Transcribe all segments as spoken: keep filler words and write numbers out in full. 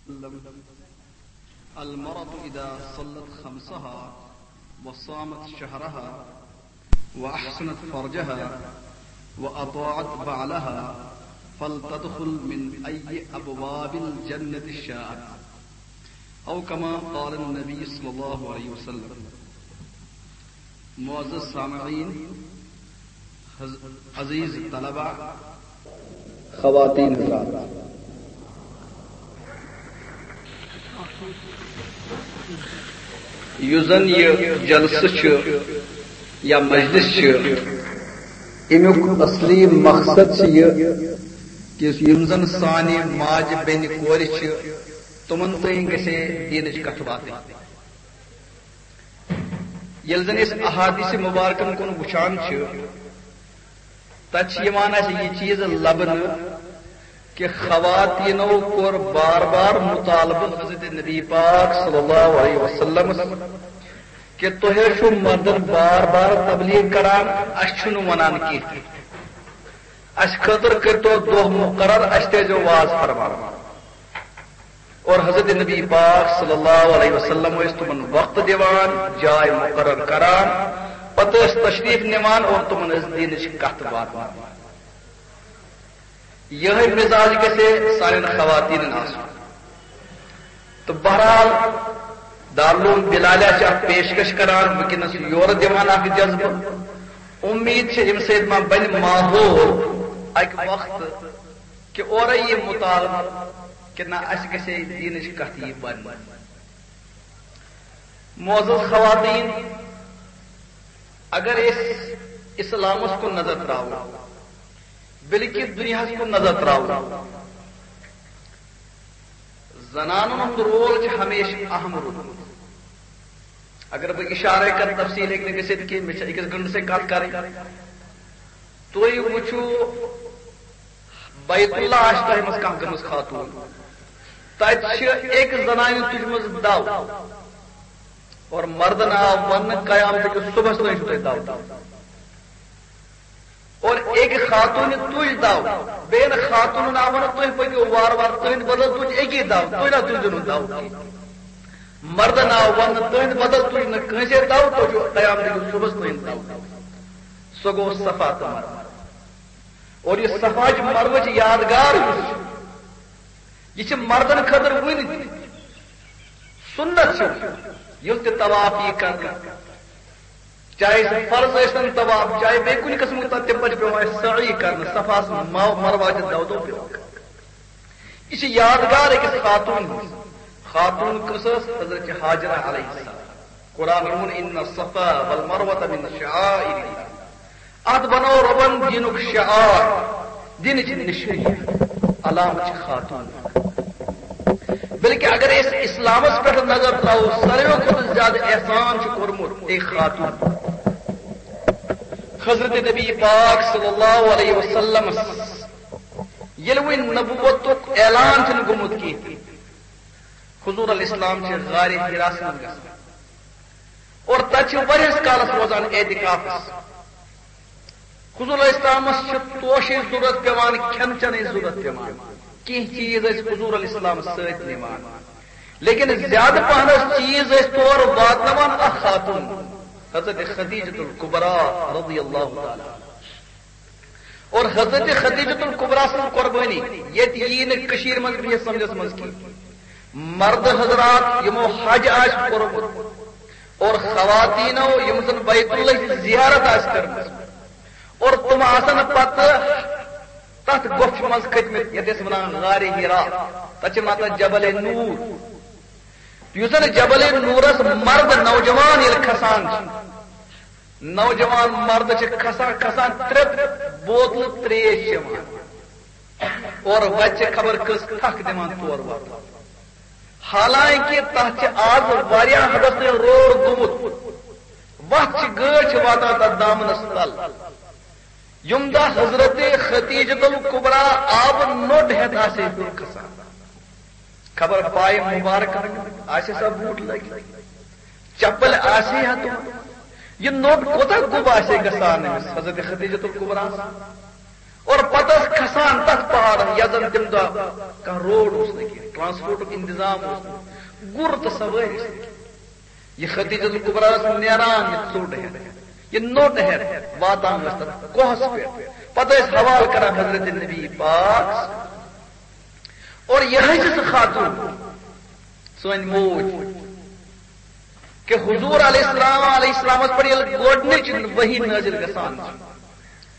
وسلم: المرأة إذا صلت خمسها وصامت شهرها وأحصنت فرجها وأطاعت بعلها فلتدخل من أي أبواب الجنة شاءت، أو كما قال النبي صلى الله عليه وسلم. معزز سامعین، حض-، عزیز طلبہ، خواتین حضرات، یُس زن یہِ جلسہٕ چھُ یا مجلس چھُ، اَمیُک اصلی مقصد چھُ یہِ کہِ یِم زن سانہِ ماجہِ بیٚنہِ کورِ چھِ، تِمن تام گژھِ ہے دیٖنٕچ کتھ واتٕنۍ۔ ییٚلہِ زن أسۍ احادیث مبارکن کُن وٕچھان چھِ، تتہِ چھِ یِوان اَسہِ یہِ چیٖز لبنہٕ کہِ خواتیٖنو کوٚر بار بار مطالبہٕ حضرت نبی پاک صلی اللہ علیہ وسلمس کہِ تۄہہِ حظ چھُو مردن بار بار تبلیغ کران، اَسہِ چھُنہٕ وَنان کینٛہہ تہِ۔ اَسہِ خٲطرٕ کٔرۍتو دۄہ مُقرر، اَسہِ تہِ ٲسۍزیو واز فرماوان۔ اور حضرت نبی پاک صلی اللہ علیہ وسلم ٲسۍ تِمن وقت دِوان، جاے مُقرر کران، پتہٕ ٲسۍ تشریف نِوان اور تِمن ٲسۍ دیٖنٕچ کتھ واتناوان۔ یِہوٚے مزاج گژھِ سانٮ۪ن خواتیٖنن آسُن۔ تہٕ بہرحال، دارالعلوم بلالیہ چھِ اکھ پیشکش کران، وٕنکیٚنس یورٕ دِوان اکھ جذبہٕ۔ امید چھِ، اَمہِ سۭتۍ ما بنہِ ماحول اکہِ وقتہٕ کہِ اورے یہِ مطالبہٕ کہِ نہ، اَسہِ گژھِ ہے دیٖنٕچ کتھ یی وننہٕ۔ معزز خواتین، اگر أسۍ اسلامس کُن نظر تراوو، بلکہ دنیاہس کُن نظر تراوو، زنانن ہُنٛد رول چھُ ہمیشہٕ اہم روٗدمُت۔ اگر بہٕ اشارے کرٕ، تفصیل ہیٚکہِ نہٕ گٔژھِتھ کینٛہہ، مےٚ چھِ أکِس گنٹہٕ سۭتۍ کتھ کرٕنۍ۔ تُہۍ وٕچھِو، بیت اللہ آسہِ تۄہہِ منٛز کانٛہہ گٔمٕژ خاتوٗن، تتہِ چھِ أکۍ زنانہِ تُجمٕژ دو، اور مردن آو وننہٕ، قیامتہٕ کِس صبحس تام چھُو تۄہہِ دو۔ اور أکۍ خاتوٗنہِ تُج دو، بیٚیہِ خاتوٗنن آو وننہٕ، تُہۍ پٔکِو وارٕ وارٕ، تُہنٛدِ بدل تُج أکی دو، تُہۍ نہ تُجِو نہٕ دو کینٛہہ۔ مردن آو وننہٕ، تُہنٛدِ بدل تُج نہٕ کٲنٛسے دو، تُہۍ چھِو قیامتہٕ کِس صبحس تُہنٛدِ دو۔ سُہ گوٚو صفا تہٕ مروہ۔ اور یہِ صفا چہِ مروہ چہِ یادگار یُس چھُ، یہِ چھِ مردن خٲطرٕ وُنہِ تہِ سُنت چھِ، ییٚلہِ تہِ طواف یی کرنہٕ، چاہے سُہ فرض ٲسۍتن طواف، چاہے بیٚیہِ کُنہِ قٕسمُک، تَتھ تَمہِ پتہٕ چھُ پٮ۪وان اَسہِ سعی کرنہٕ، صفاہَس مَو-، مروہ تہِ دَو دَو پٮ۪وان کرُن۔ یہِ چھِ یادگار أکِس خاتوٗن ہٕنٛز۔ خاتوٗن کٔژ ٲس؟ حضرت ہاجرہ علیہ السلام۔ قرآن ووٚن، "ان الصفا والمروة من شعائر اللہ۔" اتھ بنوو رۄبن دینُک شعار، دینٕچ نشٲنی، علامت چھِ خاتوٗن۔ بلکہ اگر أسۍ اسلامس پٮ۪ٹھ نظر تراوو، ساروٕے کھۄتہٕ زیادٕ احسان چھُ کوٚرمُت أکۍ خاتوٗن۔ حضرت نبی پاک صلی اللہ علیہ وسلمس ییٚلہِ وۄنۍ نبوتُک اعلان چھُنہٕ گوٚمُت کینٛہہ، حضور علیہ السلام چھِ غارِ حراس منٛز گژھان اور تتہِ چھِ واریاہس کالس روزان اعتکافس۔ حضور علیہ السلامس چھِ توشٕچ ضرورت پٮ۪وان، کھٮ۪ن چٮ۪نٕچ ضرورت پٮ۪وان، کینٛہہ چیٖز ٲسۍ حضور علیہ السلام سۭتۍ نِوان، لیکن زیادٕ پہنس چیٖز ٲسۍ تور واتناوان اکھ خاتوٗن، حضرت خدیجۃ الکبریٰ رضی اللہ تعالیٰ عنہا۔ اور حضرت خدیجۃ الکبریٰ سٕنٛز قربٲنی ییٚتہِ یی نہٕ کٔشیٖرِ منٛز بِہِتھ سمجھس منٛز کینٛہہ۔ مرد حضرات یِمو حج آسہِ کوٚرمُت اور خواتیٖنو یِم زن بیت اللہ ہٕچ زیارت آسہِ کٔرمٕژ اور تِم آسن پتہٕ تتھ گۄپھِ منٛز کھٔتمٕتۍ، یتھ أسۍ ونان غارِ حرا، تتھ چھِ ونان تتھ جبل نور۔ یُس زن جبل نورس مرد نوجوان ییٚلہِ کھسان چھِ، نوجوان مرد چھِ کھسان، کھسان ترٛےٚ بوتلہٕ ترٛیش چٮ۪وان اور وتہِ چھِ خبر کٔژ تھکھ دِوان تور واتان۔ حالانکہ تتھ چھِ آز واریاہ حدس تام روڑ گوٚمُت، وتھ چھِ، گٲڑۍ چھِ واتان تتھ دامنس تل۔ یِم دۄہ حضرت خدیجۃ الکبریٰ آبہٕ نوٚٹ ہٮ۪تھ آسہِ ہے ہیوٚر کھسان۔ خبر پایہِ مبارک آسہِ سا بوٗٹ لٲگِتھ، چپل آسہِ ہا تِم۔ یہِ نوٚٹ کوتاہ گوٚب آسہِ ہے گژھان أمِس حضرت خدیجۃ الکبریٰ ہس۔ اور پتہٕ ٲس کھسان تتھ پہاڑس، یتھ زن تمہِ دۄہ کانٛہہ روڈ اوس نہٕ کینٛہہ، ٹرانسپورٹُک انتظام اوس نہٕ، گُر تہٕ سوٲرۍ ٲسۍ نہٕ کینٛہہ۔ یہِ خدیجہ الکبریٰ ٲس نیران، یہِ ژوٚٹ ہٮ۪تھ، یہِ نوٚٹ ہٮ۪تھ واتان ٲس تتھ کوہس پٮ۪ٹھ۔ پتہٕ ٲسۍ حوالہٕ کران حضرت نبی پاک۔ اور یہے چھِ سۄ خاتون، سٲنۍ موج، کہ حضور علیہ السلام، علیہ السلامس پٮ۪ٹھ ییٚلہِ گۄڈٕنِچ وحی نٲزِل گژھان چھِ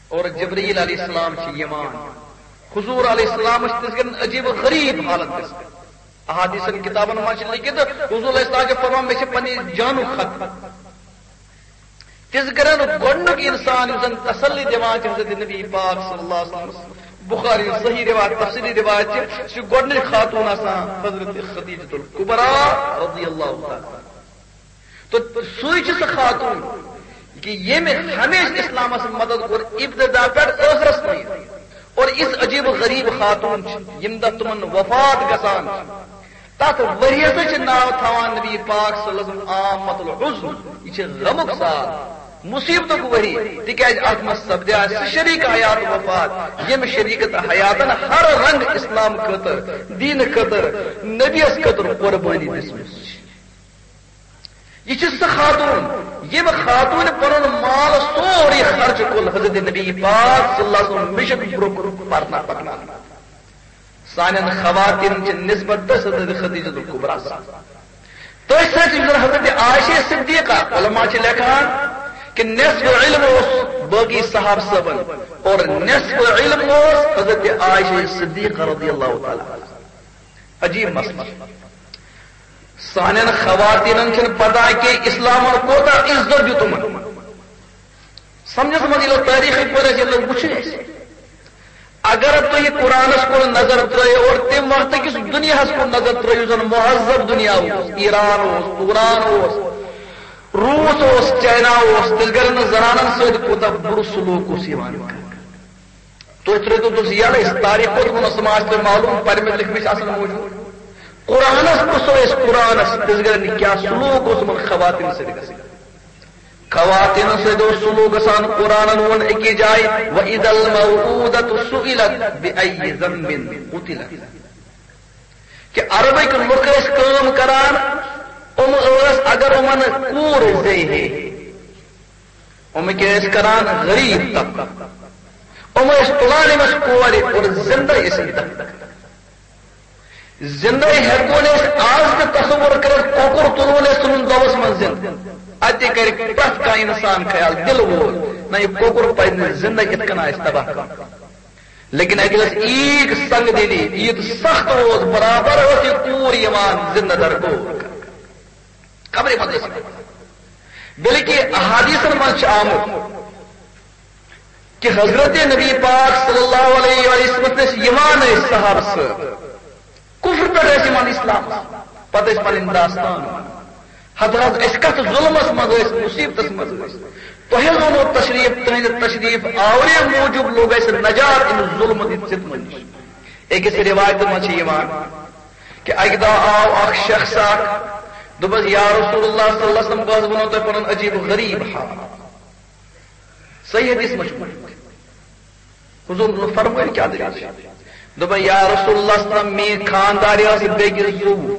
اور جبرائیل علیہ السلام چھِ یِوان، حضور علیہ السلامس چھِ تِژھ گرٮ۪ن عجیب و غریب حالت گژھان۔ احادیثن کتابن منٛز چھِ لیکھِتھ، حضور علیہ السلام چھِ فرمان، مےٚ چھِ پننہِ جانُک خطرٕ۔ تِژھ گرٮ۪ن گۄڈٕنیُک انسان یُس زن تسلی دِوان چھِ حضرت نبی پاک صلی اللہ علیہ وسلم، بخاری صحیح روایت، تفصیلی روایت چھِ، سُہ چھُ گۄڈٕنِچ خاتون آسان حضرت خدیجۃ الکبریٰ رضی اللہ تعالیٰ عنہا۔ تہٕ سُے چھِ سۄ خاتون کہ ییٚمہِ ہمیشہِ اسلامس مدد کوٚر ابتدا پٮ۪ٹھ ٲخرس تام۔ اور یِژھ عجیب و غریب خاتون چھِ، ییٚمہِ دۄہ تِمن وفات گژھان چھِ، تتھ ؤریس چھِ ناو تھاوان نبی پاک صلی اللہ علیہ وسلم عامۃ الحزن، یہِ چھِ غمُک سال، مصیبتُک ؤری، تِکیازِ اتھ منٛز سپدیٛاے سُہ شریک حیات وفات، ییٚمہِ شریکت حیاتن ہر رنگ اسلام خٲطرٕ، دین خٲطرٕ، نبیس خٲطرٕ قربٲنی دِژمٕژ چھِ۔ یہِ چھِ سۄ خاتون، ییٚمہِ خاتوٗنہِ پنُن مال سورُے خرچہٕ کوٚر حضرت نبی پاک صلی اللہ علیہ وسلم مشن برونٛہہ کُن پرنہٕ پکناونہٕ۔ سانٮ۪ن خواتین چھِ نسبت تٔتھۍ حضرت خدیجہ الکبریٰ سۭتۍ۔ تٔتھۍ سۭتۍ یُس زن حضرت عائشہ صدیقہ، علماء چھِ لیکھان کہ نصف علم اوس باقی صحابہ صٲبن اور نصف علم اوس حضرت عائشہ صدیقہ رضی اللہ تعالیٰ عنہا۔ عجیب مسئلہ۔ سانٮ۪ن خواتینن چھنہٕ پتہ کہ اسلامن کوتاہ عزت دیُت تِمن۔ سمجھس منٛز ییٚلہِ تٲریٖخٕکۍ پٲٹھۍ أسۍ ییٚلہِ وٕچھو أسۍ، اگر تُہۍ قرآنس کُن نظر ترٲیِو اور تمہِ وقتہٕ کِس دُنیاہس کُن نظر ترٲیِو، یُس زن مہذب دُنیا اوس، ایران اوس، توران اوس، روٗس اوس، چاینا اوس، تیٚلہِ گرن زنانن سۭتۍ کوٗتاہ بُرٕ سلوک اوس یِوان کرنہٕ۔ تُہۍ ترٛٲوِو تُہۍ یَلہٕ، أسۍ تاریخ کوٚت ووٚنُس، تِم آسہِ تۄہہِ معلوٗم، پَرِمٕتۍ لیکھمٕتۍ آسَن موٗجوٗد۔ قرآنَس پرٛژھو أسۍ، قرآنَس تِژھ گرِ کیٛاہ سلوٗک اوس یِمَن خواتیٖن سۭتۍ گژھان؟ خواتیٖن سۭتۍ اوس سلوٗک گژھان، قرآنَن ووٚن أکِس جایہِ، "وَإِذَا الْمَوْءُودَةُ سُئِلَتْ بِأَيِّ ذَنبٍ قُتِلَتْ"۔ کہ عربٕکۍ لُکھ ٲسۍ کٲم کران، یِم ٲسۍ اگر یِمَن کوٗر زیٚیہِ ہے، یِم کیٛاہ ٲسۍ کران؟ غریب طبقہٕ۔ یِم ٲسۍ تُلان أمِس کورِ اور زِندَے ٲسۍ یِم دفن کران۔ زِندَے ہٮ۪کو نہٕ أسۍ آز تہِ تصور کٔرِتھ، کۄکُر تُلون أسۍ ژھٕنُن دۄبَس منٛز زِندٕ۔ اَتہِ کَرِ پرٛٮ۪تھ کانٛہہ اِنسان خیال، دِل وول، نہ، یہِ کۄکُر پَزِ نہٕ زِندَے یِتھ کٔنۍ آسہِ تباہ کَرُن۔ لیکن اَتہِ ٲس ییٖژ سنگ دِلی، ییٖژ سخت اوس، برابر ٲس یہِ کوٗر یِوان زِندٕ درگور کرنہٕ۔ خبرے منٛز ٲسۍ۔ بلکہ احادیثن منٛز چھُ آمُت کہ حضرت نبی پاک صلی اللہ علیہ وسلم ٲسۍ یِوان ٲسۍ صحابہٕ صٲب، کفر پٮ۪ٹھ ٲسۍ یِوان اسلام، پتہٕ ٲسۍ پنٕنۍ داستان ونان۔ ہتہٕ حظ أسۍ کتھ ظلمس منٛز ٲسۍ، مصیبتس منٛز ٲسۍ، تۄہہِ حظ اوٚنوٕ تشریف، تُہنٛدِ تشریف آورے موٗجوٗب لوٚگ اَسہِ نجات امہِ ظلمہٕ دِتھ ستمہٕ نِش۔ أکِس روایتہِ منٛز چھِ یِوان کہ اکہِ دۄہ آو اکھ شخص اکھ، دوٚپُس، "یا رسول اللہ صلی اللہ علیہ وسلم، بہٕ حظ وَنو تۄہہِ پنُن عجیب و غریب حال۔" صحیح حدیث منٛز چھُ ووٚنمُت۔ حضور فرمٲیِو کیٛاہ دٔلیٖل چھِ؟ دوٚپُن، "یا رسول اللہ صلی اللہ علیہ وسلم، میٛٲنۍ خانٛدارِ ٲس بیٚکِس زُو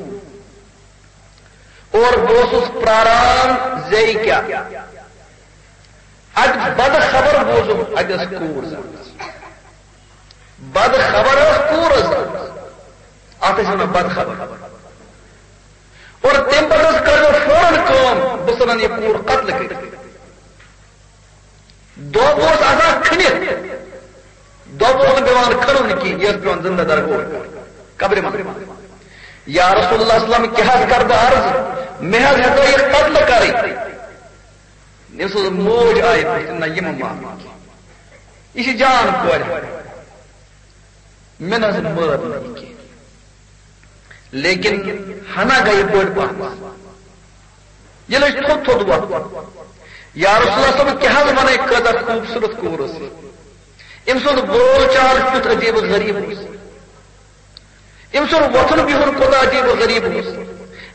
اور بہٕ اوسُس پراران زیٚیہِ کیٛاہ۔" اَتہِ بدٕ خبر بوٗزُم، اَتہِ ٲس کوٗر زامٕژ۔ بدٕ خبر ٲس کوٗر ٲس زامٕژ۔ اَتھ ٲسۍ وَنان بدٕ خبر۔ اور تَمہِ پَتہٕ ٲس کٔر مےٚ فوراً کٲم، بہٕ ژھٕنَن یہِ کوٗر قتل کٔرِتھ۔ دۄب اوس آسان کھٔنِتھ، دۄب اوس نہٕ پٮ۪وان کھنُن کینٛہہ، یہِ ٲس پٮ۪وان زِندٕ درگور کَرُن، قبرِ منٛز۔ یا رسول اللہ صلی اللہ علیہ وسلم، کیٛاہ حظ کَرٕ بہٕ عرض؟ مےٚ حظ ہٮ۪ژاے یہِ قتل کَرٕنۍ۔ أمۍ سٕنٛز موج آیہِ پرٛژھنہِ، نہ، یہِ مہ مانہِ کینٛہہ۔ یہِ چھِ جان کورِ۔ مےٚ نہ حظ مٲر نہٕ یہِ کینٛہہ۔ لیکن ہنا گٔیہِ بٔڑ پہن۔ ییٚلہِ أسۍ تھوٚد تھوٚد وۄتھو، یا رسول اللہ صٲب، کیٛاہ حظ وَنَے، کۭژاہ خوٗبصوٗرت کوٗر ٲس یہِ۔ أمۍ سُنٛد بول چال کیُتھ عجیٖب و غریٖب اوس۔ أمۍ سُنٛد وۄتھُن بِہُن کوٗتاہ عجیٖب و غریٖب اوس۔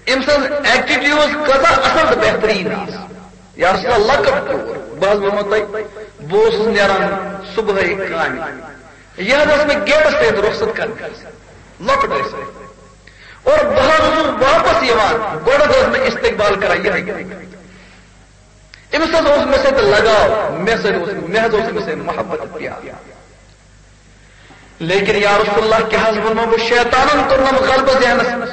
أمۍ سٕنٛز attitude کۭژاہ اَصٕل تہٕ بہتریٖن ٲس۔ یا رسول اللہ، لۄکٕٹ کوٗر۔ بہٕ حظ وَنو تۄہہِ، بہٕ اوسُس نیران صُبحٲے کامہِ۔ یہِ حظ ٲس مےٚ گیٹَس تام رۄخصت کرنہٕ خٲطرٕ۔ لۄکُٹ ٲسۍ۔ اور بہٕ حظ اوسُس واپس یِوان، گۄڈٕ حظ ٲس مےٚ استقبال کران یِہے۔ أمِس حظ اوس مےٚ سۭتۍ لگاو، مےٚ سۭتۍ اوس، مےٚ حظ اوس أمِس سۭتۍ محبت تہٕ پیار۔ لیکن یا رسول اللہ، کیٛاہ حظ وَنہو بہٕ، شیطانن کوٚرنم غلبہٕ ذہنس منٛز،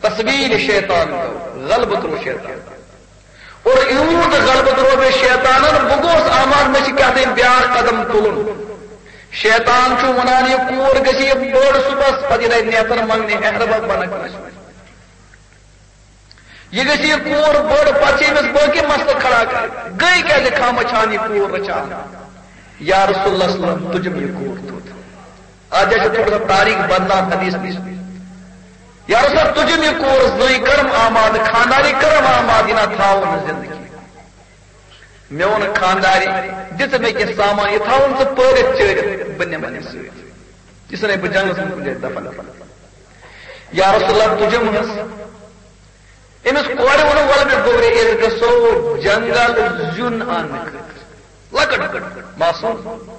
تصویر شیطان گوٚو، غلبہٕ ترٛوو شیطان۔ اور یوٗت غلبہٕ ترٛوو مےٚ شیطانن، بہٕ گوس آماد، مےٚ چھِ کیٛاہ تام بیٛاکھ قدم تُلُن۔ شیطان چھُ وَنان، یہِ کوٗر گژھِ یہِ بٔڑ صُبحس، پتہٕ یہِ دَپہِ نیتر منٛگنہِ، ہیہربب بنکھ نَس۔ یہِ گژھِ یہِ کوٗر بٔڑ، پتہٕ چھِ أمِس باقٕے مسلہٕ کھڑا کرٕنۍ۔ گٔے کیٛازِ خامہ چھان یہِ کوٗر رچان؟ یا رسول اللہ صلی اللہ علیہ وسلم، تُجم یہِ کوٗر تھوٚد۔ آز چھِ تھوڑا سا تاریخ بدلان حدیث نِش۔ یا رسول اللہ، تُجم یہِ کوٗر زٔنۍ کرم آماد، خانداری کرم آماد، یہِ نہ تھاوو نہٕ زندگی۔ مےٚ ووٚن خانداری، دِژٕ مےٚ کینٛہہ سامان، یہِ تھاوُن ژٕ پٲرِتھ چٲرِتھ، بہٕ نِمَن یہِ سۭتۍ۔ یہِ ژھٕنے بہٕ جنگلس منٛز کُنہِ جایہِ دفن۔ یا رسول اللہ، تُجم حظ۔ أمِس کورِ ووٚنُن، وَلہٕ مےٚ گوٚبرِ، أسۍ گژھو جنگل زیُن اننہٕ خٲطرٕ۔ لۄکٕٹ معصوم۔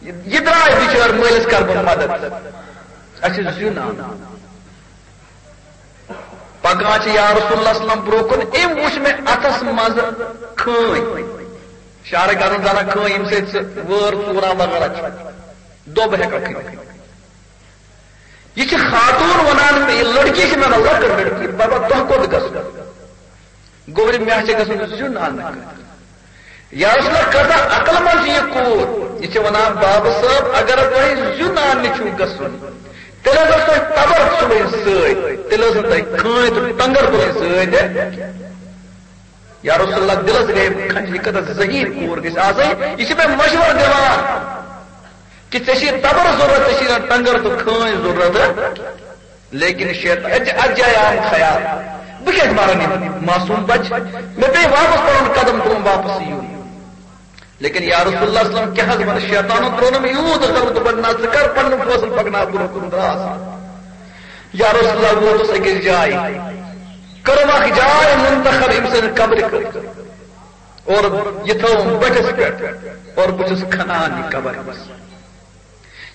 یہِ، یہِ درٛاے بِچٲر، مٲلِس کَرٕ بہٕ مدد۔ اَسہِ چھُ زیُن اَنُن۔ پَکان چھِ یا رسول اللہ صلی اللہ علیہ وسلم برٛونٛہہ کُن، أمۍ وُچھ مےٚ اَتھَس منٛز کھٲنۍ۔ شعرٕ کَرُن زَنان کھٲنۍ، ییٚمہِ سۭتۍ سُہ وٲر ژوٗران وغٲرہ چھُ۔ دوٚب ہٮ۪کان کھٔنِتھ۔ یہِ چھِ خاتوٗن وَنان، یہِ لٔڑکی چھِ مےٚ وَنان، لۄکٕٹ لٔڑکی، بابا، تۄہہِ کوٚت گژھُن؟ گوٚبرِ، مےٚ چھِ گژھُن زیُن اَننہٕ خٲطرٕ۔ یا رسول اللہ، کۭژاہ عقل منٛد چھِ یہِ کوٗر۔ یہِ چھِ وَنان، بابہٕ صٲب، اگر تۄہہِ زیُن اَننہِ چھُو گژھُن، تیٚلہِ حظ ٲس تۄہہِ تَبَر تُلٕنۍ سۭتۍ، تیٚلہِ ٲس نہٕ تۄہہِ کھٲنۍ تہٕ ٹۄنٛگر تُلٕنۍ سۭتۍ۔ یا رسول اللہ، دِلس گٔے کھنٛج، یہِ کۭژاہ ذہین کوٗر گژھِ آسٕنۍ۔ یہِ چھِ مےٚ مشورٕ دِوان کہِ ژےٚ چھِ تَبَر ضروٗرت، ژےٚ چھِ ٹۄنٛگر تہٕ کھٲنۍ ضروٗرت۔ لیکن شیطان، اَتہِ، اَتھ جایہِ آو خیال، بہٕ کیٛازِ مارن یِم معصوٗم بچہٕ؟ مےٚ پیٚیہِ واپس پنُن قدم تُلُن، واپس یُن۔ لیکن یا رسول اللہ صلی اللہ علیہ وسلم، کیٛاہ حظ وَنہٕ، شیطانن ترٛوونم یوٗت غلبہٕ، دوٚپُن، نہ، ژٕ کر پنُن فٲصلہٕ، پکناو برٛونٛہہ کُن، دراس۔ یا رسول اللہ، ووتُس أکِس جایہِ، کٔرٕم اکھ جاے منتخب أمۍ سٕنٛدِ قبرِ خٲطرٕ، اور یہِ تھٲوٕم بٔٹھِس پٮ۪ٹھ، اور بہٕ چھُس کھنان یہِ قبر أمِس۔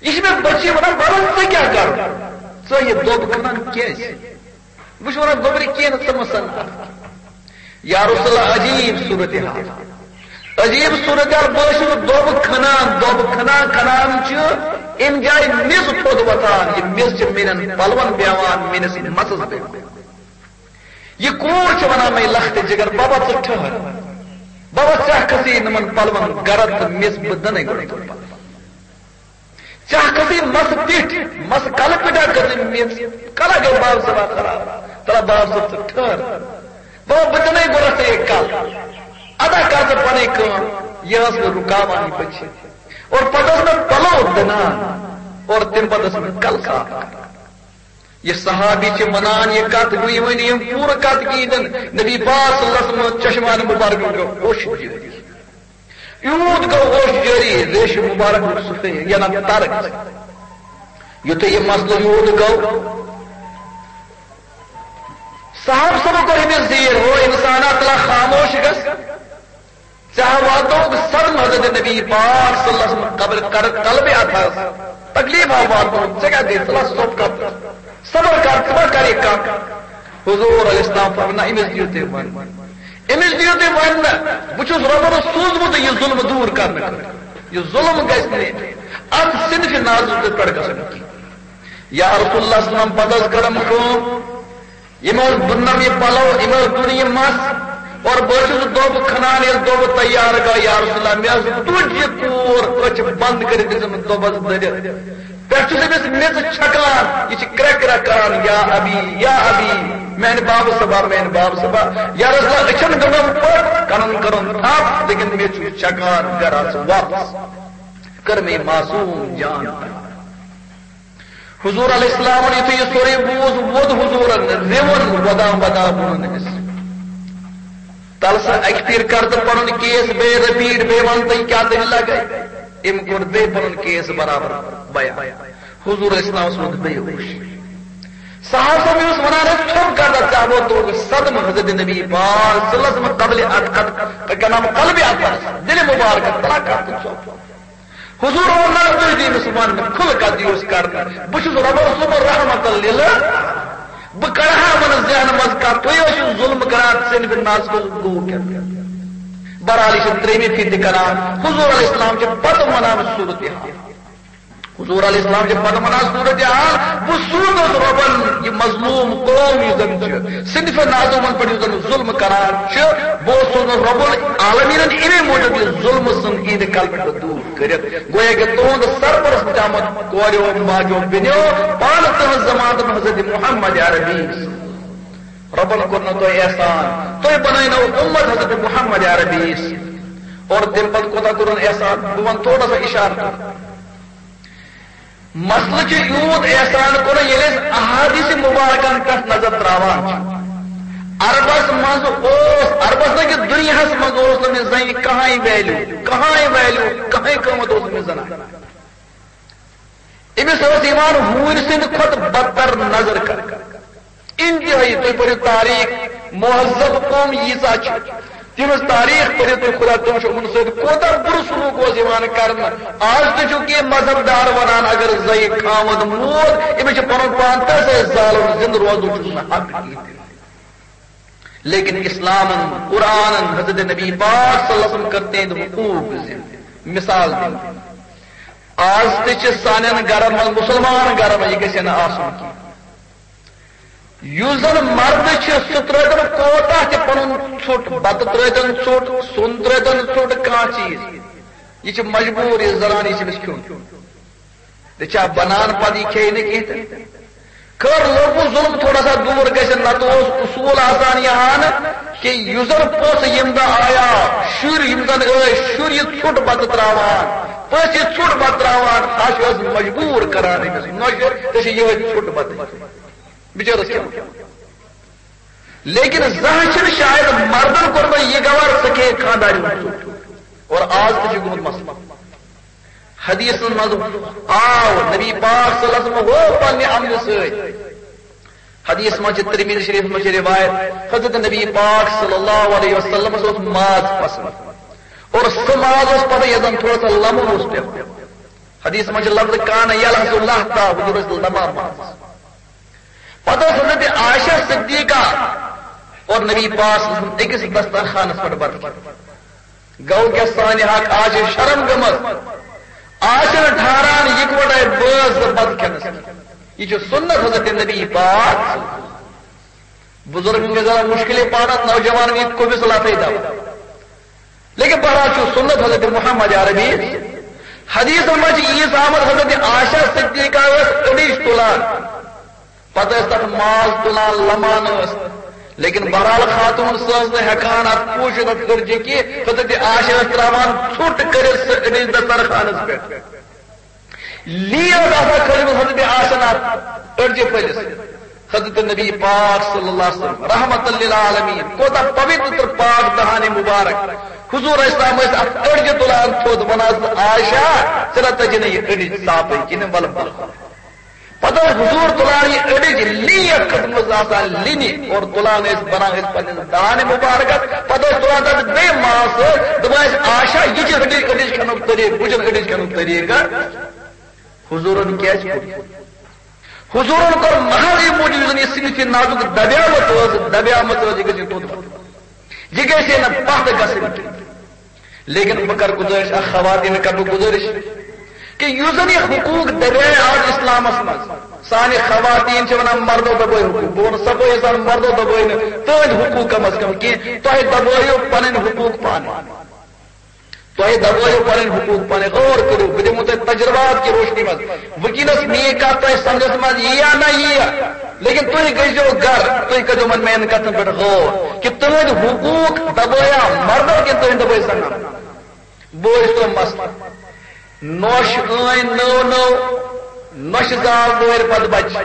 یہِ چھِ مےٚ بچی وَنان، وَلہٕ ژٕ کیٛاہ کَرٕ؟ ژٕ یہِ دوٚب کھنان کیٛازِ؟ بہٕ چھُس وَنان، گوٚبرِ کینٛہہ نہٕ، ژٕ مہٕ سَن اَتھ۔ یا رسول اللہ، عجیٖب صورتحال۔ عجیٖب صورتحال، بہٕ حظ چھُس دوٚب کھنان، دوٚب کھنان، کھنان چھُ اَمہِ جایہِ میٚژ تھوٚد وۄتھان، یہِ میٚژ چھِ میٛانٮ۪ن پَلوَن بیٚہوان، میٛٲنِس مَسَس بیٚہوان۔ یہِ کوٗر چھِ وَنان مےٚ، لَختِ جِگر، بابا، ژٕ ٹھٔہر۔ بابا، ژٕ کھسہِ نہٕ یِمَن پَلوَن گَرَد تہٕ میٚژ، بہٕ دَنَے گۄڈَے تِم پَلو۔ ژےٚ ہا کھٔژٕے مَسہٕ پیٚٹھۍ، مَسہٕ کَلہٕ پیٚٹھۍ ہا کھٔژٕے میٚژ، کَلہٕ گٔے باب صٲبا خراب۔ تَلہٕ باب صٲب، ژٕ ٹھٔہر۔ بابا، بہٕ دِمَے گۄڈٕ ژےٚ یہِ کَلہٕ۔ اَدا کَر ژٕ پَنٕنۍ کٲم۔ یہِ ٲس مےٚ رُکاوان یہِ بٔچی۔ اور پَتہٕ ٲس مےٚ پَلو دٕنان۔ اور تَمہِ پَتہٕ ٲس مےٚ کَلہٕ صاف کَران۔ یہِ صحابی چھِ وَنان، یہِ کَتھ گوٚو، یہِ ؤنِو یِم پوٗرٕ کَتھ کِہیٖنۍ تہِ نہٕ۔ نبی پاک صلی اللہ علیہ وسلم چشمانِ مُبارک گوٚو اوٚش جٲری۔ یوٗت گوٚو اوٚش جٲری، ریشہِ مُبارک لوٚگ سُہ فے-، یہِ نہ ترک۔ یُتھُے یہِ مسلہٕ یوٗت گوٚو، صحابہٕ صٲبو کوٚر أمِس زیٖر، ہو اِنسانا، تلا خاموش گژھ۔ ژےٚ ہا واتنووُکھ صدمہٕ حضرت نبی پاک صلی اللہ علیہ وسلم قبر کر-، قلبِ اطہرس۔ تکلیف ہا واتنووُکھ، ژےٚ کیٛاہ گٔے؟ ژٕ لا سوٚپ کر، صبر کر، ژٕ ما کر یہِ کتھ؟ حضور علیہ السلام فرموو، نہ، أمِس دِیِو تُہۍ وننہٕ۔ أمِس دِیِو تُہۍ وننہٕ۔ بہٕ چھُس رۄبَن سوٗزمُت یہِ ظُلم دوٗر کرنہٕ خٲطرٕ۔ یہِ ظُلم گژھِ نہٕ اَتھ صنفِ نازُک پٮ۪ٹھ گژھُن کینٛہہ۔ یا رسول اللہ صلی اللہ علیہ وسلم، پتہٕ حظ کٔرٕم کٲم، یِمو حظ بُننم یہِ پلو، یِمو حظ بُن یہِ مَس، اور بہٕ حظ چھُس دوٚب کھنان، ییٚلہِ دوٚب تیار گوٚو، یا رسول اللہ، مےٚ حظ تُج یہِ کوٗر، أچھ بنٛد کٔرِتھ دِژٕم دوٚبَس دٔرِتھ۔ پٮ۪ٹھٕ چھُس أمِس میٚژ چھکان، یہِ چھِ کرٛٮ۪کھ کرٛٮ۪کھ کران، یا ابی، یا ابی، میٛانہِ بابہٕ صٲبا، میٛانہِ بابہٕ صٲبا۔ یا رسول اللہ، أچھن گٔنٛڈٕم پٔٹ، کَنَن کٔرٕم تھپھ، لیکن مےٚ چھُ چھکان، گرٕ آس واپس۔ کٔر مےٚ یہِ معصوٗم جان۔ حضور علیہ السلامن یُتھُے یہِ سورُے بوٗز، ووٚد حضورن، رِوُن وۄدان وۄدان ووٚنُن أمِس، تَلہٕ سا اَکہِ پھِرِ کر تہٕ پنُن کیس بیٚیہِ رِپیٖٹ، بیٚیہِ وَن تہٕ یہِ کیٛاہ دٔلیٖلہ گٔے۔ أمۍ کوٚر بیٚیہِ پنُن کیس برابر بیان۔ حضور علیہ السلامس ووٚتھ بیٚیہِ ہوش۔ صحابہٕ صٲب یُس وَنان ٲسۍ، ژھوٚپ کر تہٕ ژےٚ ووٚتُکھ صدمہٕ حضرت نبی پاک صلی اللہ علیہ وسلم قبلِ اطہر، کیٛاہ نام، قلبِ اطہر، دِلِ مُبارکس، تَلہٕ کر تہٕ ژھوٚپ۔ حضور ووٚن، نہ، تُہۍ دِیِو أمِس وننہٕ، کھُلہٕ کتھ دِیِو أسۍ کرنہٕ۔ بہٕ چھُس رۄبَس سوٗزمُت رحمت للہ، بہٕ کڑٕ ہا یِمن ذہنہٕ منٛز کتھ، تُہۍ ٲسِو ظُلم کران، صنفِ ناز کُس گوٚو کیٛاہ؟ بہرحال، یہِ چھِ ترٛیٚیِمہِ پھِرِ تہِ کران۔ حضور علیہ السلام چھِ پتہٕ ونان صورتحال۔ حضور علیہ السلام چھِ پتہٕ ونان صورتحال، بہٕ سوٗزُس رۄبن یہِ مظلوم قوم یُس زن چھِ، صنفِ نازو یِمن پٮ۪ٹھ یُس زن ظُلم کران چھِ، بہٕ اوسُس سوٗزمُت رۄب العالمیٖنن اَمے موٗجوٗب یہِ ظُلمہٕ سُنٛد یِہنٛدِ قلبہٕ پٮ۪ٹھ دوٗر کٔرِتھ۔ گویا کہِ تُہُنٛد سرپرست چھُ آمُت کوریو، ماجیو، بیٚنیو، پانہٕ تُہٕنٛز ضمانت حضرت محمد عربی۔ رۄبن کوٚر نہٕ تۄہہِ احسان، تُہۍ بنٲونو اُمت حضرت محمد عربی۔ اور تَمہِ پتہٕ کوٗتاہ کوٚرُن احسان؟ بہٕ وَنہٕ تھوڑا سا اِشارٕ۔ مسلہٕ چھُ یوٗت احسان کوٚرُن، ییٚلہِ أسۍ احادیث مبارکن پٮ۪ٹھ نظر تراوان چھِ، عربس منٛز اوس، عربس نہٕ کہِ دُنیاہس منٛز اوس نہٕ أمِس زنہِ کٕہٕنۍ ویلیو، کٕہٕنۍ ویلیو، کٕہٕنۍ قۭمتھ اوس نہٕ أمِس زنانہِ۔ أمِس ٲس یِوان ہوٗنۍ سٕنٛدِ کھۄتہٕ بدتر نظر کرنہٕ۔ انتہٲیی، تُہۍ پٔرِو تاریخ، مہذب قوم ییٖژاہ چھِ، تِہنٛز تاریخ پٔرِو تُہۍ، خدا تِم چھِ یِمن سۭتۍ کوٗتاہ بُرٕ سلوٗک اوس یِوان کرنہٕ۔ آز تہِ چھُ کینٛہہ مذہب دار ونان، اگر زَنہِ خاوند موٗد، أمِس چھِ پنُن پان تَسے زالُن، زِندٕ روزُن چھُس نہٕ حق کِہیٖنۍ تہِ۔ لیکن اسلامن، قرآنن، حضرت نبی پاک صلی اللہ علیہ وسلم کٔر تِہنٛدۍ حقوق زِندٕ۔ مثال دِمہٕ، آز تہِ چھِ سانٮ۪ن گرن منٛز، مُسلمان گرن منٛز، یہِ گژھِ نہٕ آسُن کینٛہہ۔ یُس زن مرد چھُ، سُہ ترٲوتن کوتاہ تہِ پنُن ژھوٚٹ، بتہٕ ترٲوتن ژھوٚٹ، سیُن ترٲوتن ژھوٚٹ، کانٛہہ چیٖز، یہِ چھِ مجبوٗر، یہِ زنان، یہِ چھِ أمِس کھیوٚن۔ تہِ چھا بنان پتہٕ یہِ کھیٚیہِ نہٕ کینٛہہ تہِ؟ خٲر، لوگُن ظُلم تھوڑا سا دوٗر گژھِ، نتہٕ اوس اصوٗل آسان یہِ ہن کہِ یُس زن پوٚژھ ییٚمہِ دۄہ آیا، شُرۍ یِم زن ٲسۍ، شُرۍ یہِ ژھوٚٹ بتہٕ ترٛاوان، پٔژھۍ یہِ ژھوٚٹ بتہٕ ترٛاوان، ہش ٲس مجبوٗر کران أمِس نۄشہِ، ژےٚ چھِ یِہوٚے ژھوٚٹ بتہٕ بِچٲرِس کھیوٚن۔ لیکن زانٛہہ چھِنہٕ شاید مردن کوٚرمُت یہِ گوارٕ، ژٕ کھے خانٛدارِ ہُنٛد ژوٚٹ۔ اور آز تہِ چھُ گوٚمُت مسلہٕ۔ حدیثن منٛز آو نبی پاک صلی اللہ علیہ وسلم ہو پننہِ عملہِ سۭتۍ۔ حدیث منٛز چھِ، ترمذی شریف منٛز چھِ روایت، حضرت نبی پاک صلی اللہ علیہ وسلمس اوس ماز پسند، اور سُہ ماز اوس پتہٕ یتھ زن تھوڑا سا لمُن اوس پٮ۪وان۔ حدیث منٛز چھِ لفظ کان یلحظ لحظہ، حضور ٲسۍ لمان ماز۔ پتہٕ ٲس حضرت عائشہ صدیقہ اور نبی پاک صلی اللہ علیہ وسلم أکِس دسترخوانس پٮ۪ٹھ بتہٕ کھٮ۪وان۔ گوٚو کیٛاہ، سانہِ حق آز چھِ شرم گٔمٕژ، آز چھِنہٕ ٹھہران یِکوَٹے بٲژ زٕ بتہٕ کھٮ۪نس۔ یہِ چھُ سُنت حضرت نبی پاک۔ بزرگن گژھِ ذرا مشکلے پانس، نوجوان یہِ کُمِس لتھے دو۔ لیکن بہرحال چھُ سُنت حضرت محمد عربی۔ حدیثن منٛز چھِ ییٖژ آمٕژ، حضرت عائشہ صدیقہ ٲس أڈِج تُلان، پتہٕ ٲس تتھ ماز تُلان، لمان ٲس۔ لیکن بہرحال خاتون سٕنٛز نہٕ ہٮ۪کان اتھ پوٗشِتھ، اتھ أڈجہِ کہِ حضرت عائشہ ٲس ترٛاوان ژھوٚٹ کٔرِتھ سُہ أڈِج دسترخوانس پٮ۪ٹھ۔ لیز آسان کھٲجمٕژ حضرت عائشہ اتھ أڈجہِ پھٔلِس۔ حضرت نبی پاک صلی اللہ علیہ وسلم رحمت للعالمین، کوتاہ پویتر پاک دہانِ مبارک۔ حضور اسلام ٲسۍ اتھ أڈجہِ تُلان تھوٚد، ونان ٲسۍ، عائشہ، ژےٚ نہ تَجہِ نہٕ یہِ أڈِج صافٕے کِنہٕ، ولہٕ بہٕ۔ پتہٕ ٲسۍ حضور تُلان یہِ أڈِج، لیک کھٔژمٕژ آسان لِنہِ، اور تُلان ٲسۍ، بنان ٲسۍ پننِس دہانِ مبارکس۔ پتہٕ ٲسۍ تُلان تتھ بیٚیہِ ماز سۭتۍ، دپان ٲسۍ، عائشہ، یہِ چھِ أڈِج، أڈِج کھٮ۪نُک طریٖقہٕ، بہٕ چھُس أڈِج کھٮ۪نُک طریٖقہٕ۔ حضورن کیٛازِ کوٚر؟ حضورن کوٚر محض اَمہِ موٗجوٗب، یُس زن یہِ صنفِ نازُک دبیامٕژ ٲس، دبیامٕژ ٲس، یہِ گژھِ یہِ توٚت وَتھ۔ یہِ گژھِ ہے نہٕ پتھ گژھٕنۍ۔ لیکن بہٕ کرٕ گُزٲرِش، اکھ خواتین کرٕ بہٕ گُزٲرِش کہِ یُس زن یہِ حقوق دبیایہِ آز اسلامس منٛز، سانہِ خواتین چھِ ونان، مردو دبٲے حقوق۔ بہٕ ونہٕ صفٲیی سان، مردو دبٲے نہٕ تُہنٛدۍ حقوق کم از کم کینٛہہ، تۄہہِ دبٲیِو پنٕنۍ حقوق پانہٕ۔ تۄہہِ دبٲیِو پنٕنۍ حقوق پانہٕ۔ غور کٔرِو، بہٕ دِمو تۄہہِ تجربات کہِ روشنی منٛز۔ وٕنکیٚنس میٛٲنۍ کتھ تۄہہِ سمجھس منٛز یِیا نہ یِیا، لیکن تُہۍ گٔژھۍزیو گرٕ، تُہۍ کٔرۍزیو وۄنۍ میٛانٮ۪ن کتھن پٮ۪ٹھ غور کہِ تُہنٛدۍ حقوق دبٲیا مردو کِنہٕ تُہنٛدۍ دبٲے زنان؟ بوز تو مسلہٕ۔ نۄش ٲنۍ نٔو نٔو، نۄشہِ زاو وٲرۍ پتہٕ بچہِ۔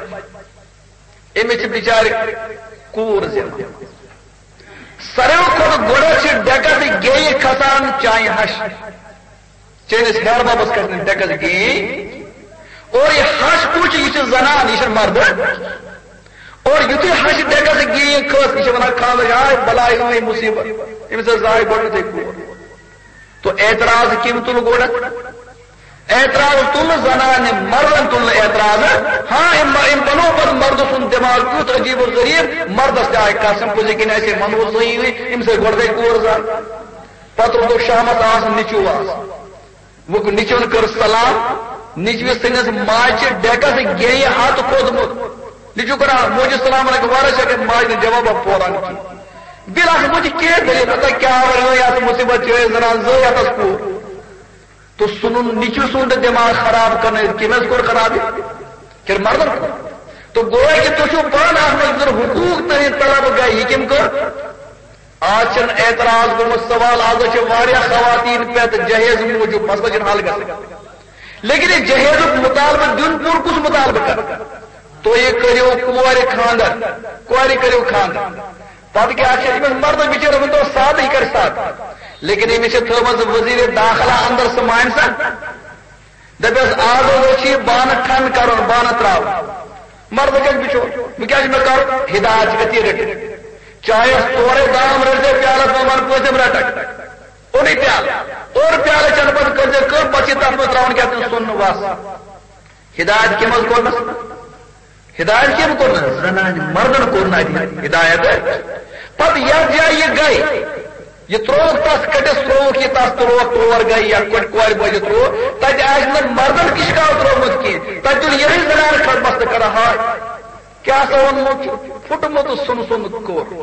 أمِس چھِ بِچارِ کوٗر زٮ۪وان۔ ساروٕے کھۄتہٕ گۄڈٕ چھِ ڈٮ۪کس گیٚیہِ کھسان چانہِ ہش۔ چٲنِس ہیہَر ببس کھسہِ نہٕ ڈٮ۪کس گیٚیہِ۔ اور یہِ ہش کُس چھُ؟ یہِ چھِ زنان، یہِ چھِنہٕ مرد۔ اور یُتھُے ہش ڈٮ۪کس گیٚیہِ کھٔژ، یہِ چھِ ونان خانٛدارِنۍ، ہاے بلاے، ٲے مُصیبت، أمِس ٲس زاے گۄڈٕنیتھٕے کوٗر۔ تو اعتراض کٔمۍ تُل گۄڈٕ؟ اعتراض تُل نہٕ زنانہِ، مردن تُل نہٕ اعتراض۔ ہاں، أمۍ، أمۍ بنوو پتہٕ مردٕ سُنٛد دٮ۪ماغ کیُتھ عجیٖب و غریٖب، مردس تہِ آیہِ قسم، پوٚزِ کِنۍ آسہِ ہے منوٗر صحیح، أمِس ٲسۍ گۄڈٕ گٔے کور زن۔ پتہٕ روٗدُکھ شامس آس نیٚچوٗ آس۔ وۄنۍ نیٚچوٗن کٔر سلام، نیٚچوِس سٕنٛدِس ماجہِ چھِ ڈیکس گیٚیہِ ہتھ کھوٚتمُت۔ نیٚچوٗ کران موجی سلام علیکم، وارٕ چھِ اگر ماجہِ نہٕ جوابا پوران کینٛہہ۔ بِل آسہِ موجی کینٛہہ دٔلیٖل، دَپان کیٛاہ وَنو یَتھ مُصیٖبت چھِ أسۍ زَنان زٕ یَتَس کوٗر۔ تو سُنُن نیٚچوٗ سُنٛد دٮ۪ماغ خراب کرنہٕ کٔمۍ حظ کوٚر خراب یہِ؟ کِنہٕ مردن کوٚر؟ تو گویا کہِ تُہۍ چھِو پانہٕ اَتھ منٛز زَن حقوٗق تُہٕنٛدۍ طلب گٔے، یہِ کٔمۍ کٔر؟ آز چھُنہٕ اعتراض گوٚمُت سوال، آز چھِ واریاہ خواتین پٮ۪تھ جہیز موٗجوٗب، مسلہٕ چھُنہٕ حل گژھان۔ لیکن یہِ جہیزُک مطالبہٕ دیُن پوٗرٕ کُس مطالبہٕ کر؟ تُہۍ کٔرِو کورِ خانٛدر، کورِ کٔرِو خانٛدر۔ پتہٕ کیٛاہ چھِ أمِس مردس بِچٲرِس ؤنۍ تو سادٕ، یہِ کرِ سادٕ۔ لیکن أمِس چھِ تھٲومٕژ وزیر داخلہ اندر سُہ مانہِ سا؟ دَپٮ۪س، آز حظ چھُ یہِ بانہٕ ٹھنٛڈ کرُن، بانہٕ ترٛاوُن۔ مردٕ کَتہِ بِچور؟ وۄنۍ کیٛاہ چھُ مےٚ کرُن؟ ہدایت چھِ أتی رٔٹِتھ۔ چایَس تورَے دام رٔٹۍ زِ پیالَس منٛز وَن پٲنٛژِم رَٹَکھ۔ اوٚنُے پیالہٕ۔ اوٚن پیالہٕ چٮ۪نہٕ پَتہٕ کٔرۍ زِ کٲم، پَتہٕ چھِ تَتھ منٛز ترٛاوُن کیٛاہ تام سُن وَس۔ ہدایت کٔمۍ حظ کوٚرنَس؟ ہدایت کٔمۍ کوٚرنَس؟ زنانہِ مردَن کوٚر نہٕ اَتہِ ہدایت۔ پَتہٕ یَتھ جایہِ یہِ گٔے، یہِ ترٛووُکھ تَس کٔٹِس، ترٛووُکھ یہِ تَس، ترٛووُکھ تور گٔے یا کٔٹۍ کورِ بٲجِتھ ترٛووُکھ۔ تَتہِ آسہِ نہٕ مردَن کِشکاو ترٛوومُت کینٛہہ۔ تَتہِ تُل یِہوٚے زنان کھڑ بستہٕ کران ہاے۔ کیٛاہ سا ووٚنمُت چھُ؟ پھُٹمُت سُن سُن کوٚر۔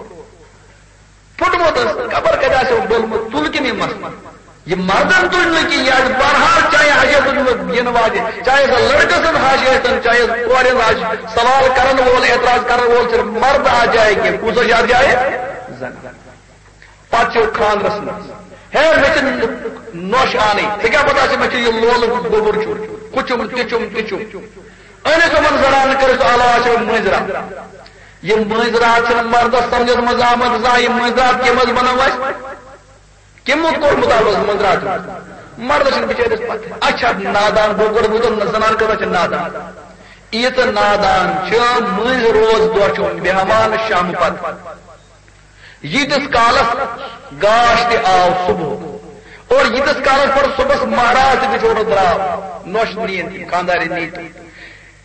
پھُٹمُت حظ، خبر کَتہِ آسہِ ڈوٚلمُت، تُل کِنہٕ یہِ مَس؟ یہِ مردَن تُج نہٕ کِہیٖنۍ، یہِ آسہِ بہرحال چاہے حاجت تُج نہٕ یِنہٕ واجہِ، چاہے سۄ لڑکہٕ سٕنٛز حاجت ٲسۍتَن، چاہے کورِ ہٕنٛز حاجت، سوال کَرَن وول، اعتراض کَرَن وول چھُنہٕ مرد اَتھ جایہِ کینٛہہ، کُس حظ چھُ اَتھ جایہِ؟ زَنان۔ پَتہٕ چھُ خانٛدرَس منٛز، ہے مےٚ چھِ نۄش اَنٕنۍ، ژےٚ کیٛاہ پَتہ چھِ مےٚ چھُ یہِ لولہٕ گوٚبُر چھُ، ہُہ چھُم، تہِ چھُم، تہِ چھُم۔ أنِتھ یِمَن زنانَن کٔرِتھ علاج چھِ مٔنٛزۍ راتھ۔ یہِ مٔنٛزۍ راتھ چھِنہٕ مردَس سمجھَس منٛز آمُت زانٛہہ، یہِ مٔنٛزۍ راتھ کٔمۍ حظ بنٲو اَسہِ؟ کٔمۍ کوٚرمُت آو حظ مٔنٛزۍ راتھ؟ مردَس چھِنہٕ بِچٲرِس پَتہ۔ اچھا، نادان گوٚو گۄڈٕ، بہٕ دَپہٕ نہ، زنان کۭژاہ چھِ نادان؟ ییٖژاہ نادان چھِ مٔنٛزۍ روز دۄہ چھُ بیٚہوان شامہٕ پَتہٕ۔ ییٖتِس کالس گاش تہِ آو صبح، اور ییٖتِس کالس پتہٕ صبحس مہراز تہِ بِچور درٛاو، نۄش نیٖن تہِ، خانٛدارِ نیٖن تہِ۔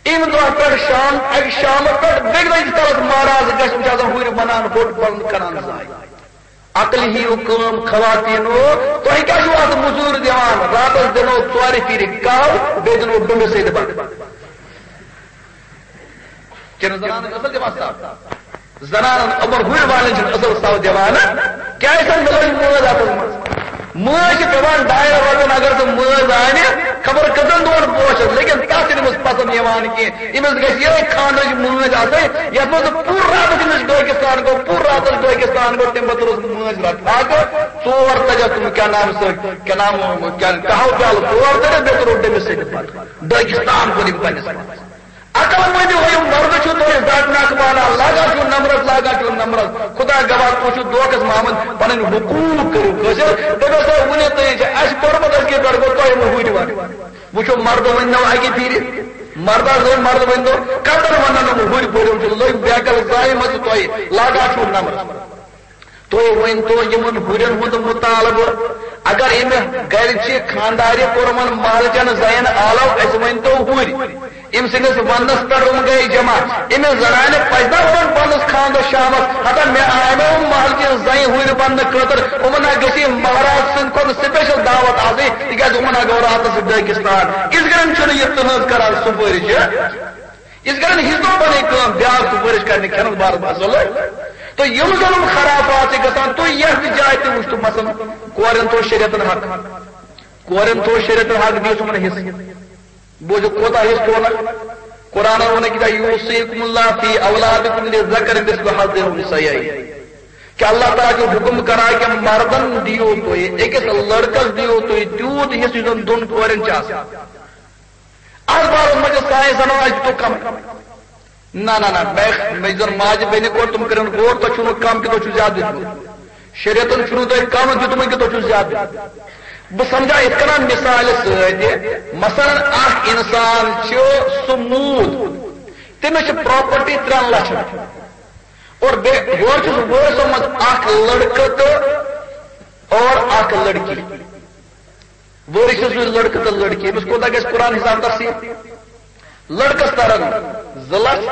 اَمہِ دۄہ پٮ۪ٹھ شام، اَکہِ شامہٕ پٮ۪ٹھ بیٚیہِ دۄہ ییٖتِس کالس مہراز گژھِ، یِم چھِ آسان ہُرۍ وَنان، ہوٚٹ پَنُن کران زایہِ۔ عقل ہِیو کٲم خواتیٖنو، تۄہہِ کیٛاہ چھُو اَتھ مٔزوٗرۍ دِوان؟ راتس دِنو ژورِ پھِرِ کاو، بیٚیہِ دِنو ڈُمبہِ سۭتۍ بَتہٕ۔ کِنہٕ زنانن چھِ اصل دِوان سَو؟ زنانن یِمن ہُرۍ والٮ۪ن چھِنہٕ اصل سَو دِوان۔ کیٛازِ چھَنہٕ مےٚ لٔج مٲنٛز اَتھ منٛز؟ مٲنٛز چھِ پٮ۪وان ڈاین رۄپین، اگر ژٕ مٲنٛز اَنہِ، خبر کٔژن دۄہن بوشس، لیکن تَتھ چھِنہٕ أمِس پسنٛد یِوان کینٛہہ۔ أمِس گژھِ یِہوٚے خانٛدرٕچ مٲنٛز آسٕنۍ، یَتھ منٛز نہٕ پوٗرٕ راتس أمِس ڈٲکِستان گوٚو، پوٗرٕ راتس ڈٲکِستان گوٚو، تَمہِ پتہٕ روٚس مٲنٛز رٹھ۔ اکھ ژور تجس تِم کیٛاہ نام سۭتۍ، کیٛاہ نام، کیٛاہ، کہو پیالہٕ ژور تجس، بیٚیہِ تہٕ روٚٹ تٔمِس سۭتۍ پتہٕ۔ ڈٲکِستان کوٚر أمۍ پننِس پانس۔ عقل مٔنٛدِو ہٲیِو، مردٕ چھُو تُہۍ زَٹناکھ وانان، لاگان چھُو نمرس، لاگان چھُو نمرس۔ خدا گواہ، تُہۍ چھِو دھوکس منٛز آمٕتۍ، پنٕنۍ حقوٗق کٔرِو حٲصِل۔ دٔپِو سا، وُنہِ تُہۍ چھِ اَسہِ پوٚرمُت، أسۍ کِتھ پٲٹھۍ گوٚو تۄہہِ وۄنۍ ہُرۍ وَنان؟ وٕچھِو، مردٕ ؤنۍ نو اَکہِ پھِرِ، مردٕ حظ ؤنۍ، مردٕ ؤنۍ نو، کَتٮ۪ن وَنان یِم ہُرۍ پٲٹھۍ، یِم چھِ لٔگۍ بیکل زایہِ منٛز، تۄہہِ لاگان چھُو نمرس۔ تُہۍ ؤنۍ تو یِمن ہُرٮ۪ن ہُنٛد مُطالبہٕ، اگر أمۍ گرِ چھِ خانٛدارِ کوٚرمُت مالچن زین آلو، اَسہِ ؤنۍ تو ہُرۍ، أمۍ سٕنٛدِس وننس پٮ۪ٹھ یِم گٔے جمع، أمِس زنانہِ پزِ نا یِمن پننِس خانٛدرس شامس، ہتا مےٚ آیہِ نا یِم مالچن زنہِ ہُرۍ وننہٕ خٲطرٕ، یِمن ہا گژھِ مہراز سٕنٛدِ کھۄتہٕ سپیشل دعوت آسٕنۍ، تِکیازِ یِمن ہا گوٚو راتس ڈٲکِستان۔ یِتھ کٔنۍ چھُنہٕ یہِ تُہنٛز کران سُفٲرِش۔ یِتھ کٔنۍ ہیٚچھنو پنٕنۍ کٲم، بیٛاکھ تہِ ؤرِش کرنہِ کھٮ۪نس بارس منٛز اصل۔ تہٕ یِم زن یِم خرافات چھِ گژھان، تُہۍ یتھ تہِ جایہِ تہِ وٕچھتو، مثلاً، کورٮ۪ن تھوٚو شریعتن حق، کورٮ۪ن تھوٚو شریعتن حق، دِیِو تِمن حصہٕ۔ بوٗزِو، کوٗتاہ حصہٕ تھوٚونکھ؟ قرآنن ووٚن أکِس جایہِ، "یوصیکم اللہ فی اولادکم للذکر مثل حظ الانثیین"۔ کہ اللہ تعالیٰ چھُ حکم کران کہ مردن دِیِو تُہۍ، أکِس لڑکس دِیِو تُہۍ تیوٗت حصہٕ یُس زن دۄن کورٮ۪ن چھُ آسان۔ اتھ بارس منٛز چھِ سانہِ زنانہٕ اَسہِ دیُتُکھ کم۔ نہ، نہ، نہ، مےٚ، مےٚ زن ماجہِ بیٚنہِ کوٚر، تِم کٔرِن غور، تۄہہِ چھُو نہٕ کم کینٛہہ، تۄہہِ چھُو زیادٕ دیُتمُت۔ شریعتن چھُنہٕ تۄہہِ کم دیُتمُت کینٛہہ، تۄہہِ چھُو زیادٕ دیُتمُت۔ بہٕ سمجھا یِتھ کٔنۍ مثالہِ سۭتۍ، مثلاً اکھ انسان چھُ سُہ موٗد، تٔمِس چھِ پراپرٹی ترٛٮ۪ن لچھن، اور بیٚیہِ یورٕ چھُس بہٕ سومُت اکھ لڑکہٕ تہٕ اور اکھ لڑکی۔ وٲرِش چھُ سُے لڑکہٕ تہٕ لڑکی، أمِس کوٗتاہ گژھِ قرآن حساب تقسیٖم؟ لڑکس ترن زٕ لچھ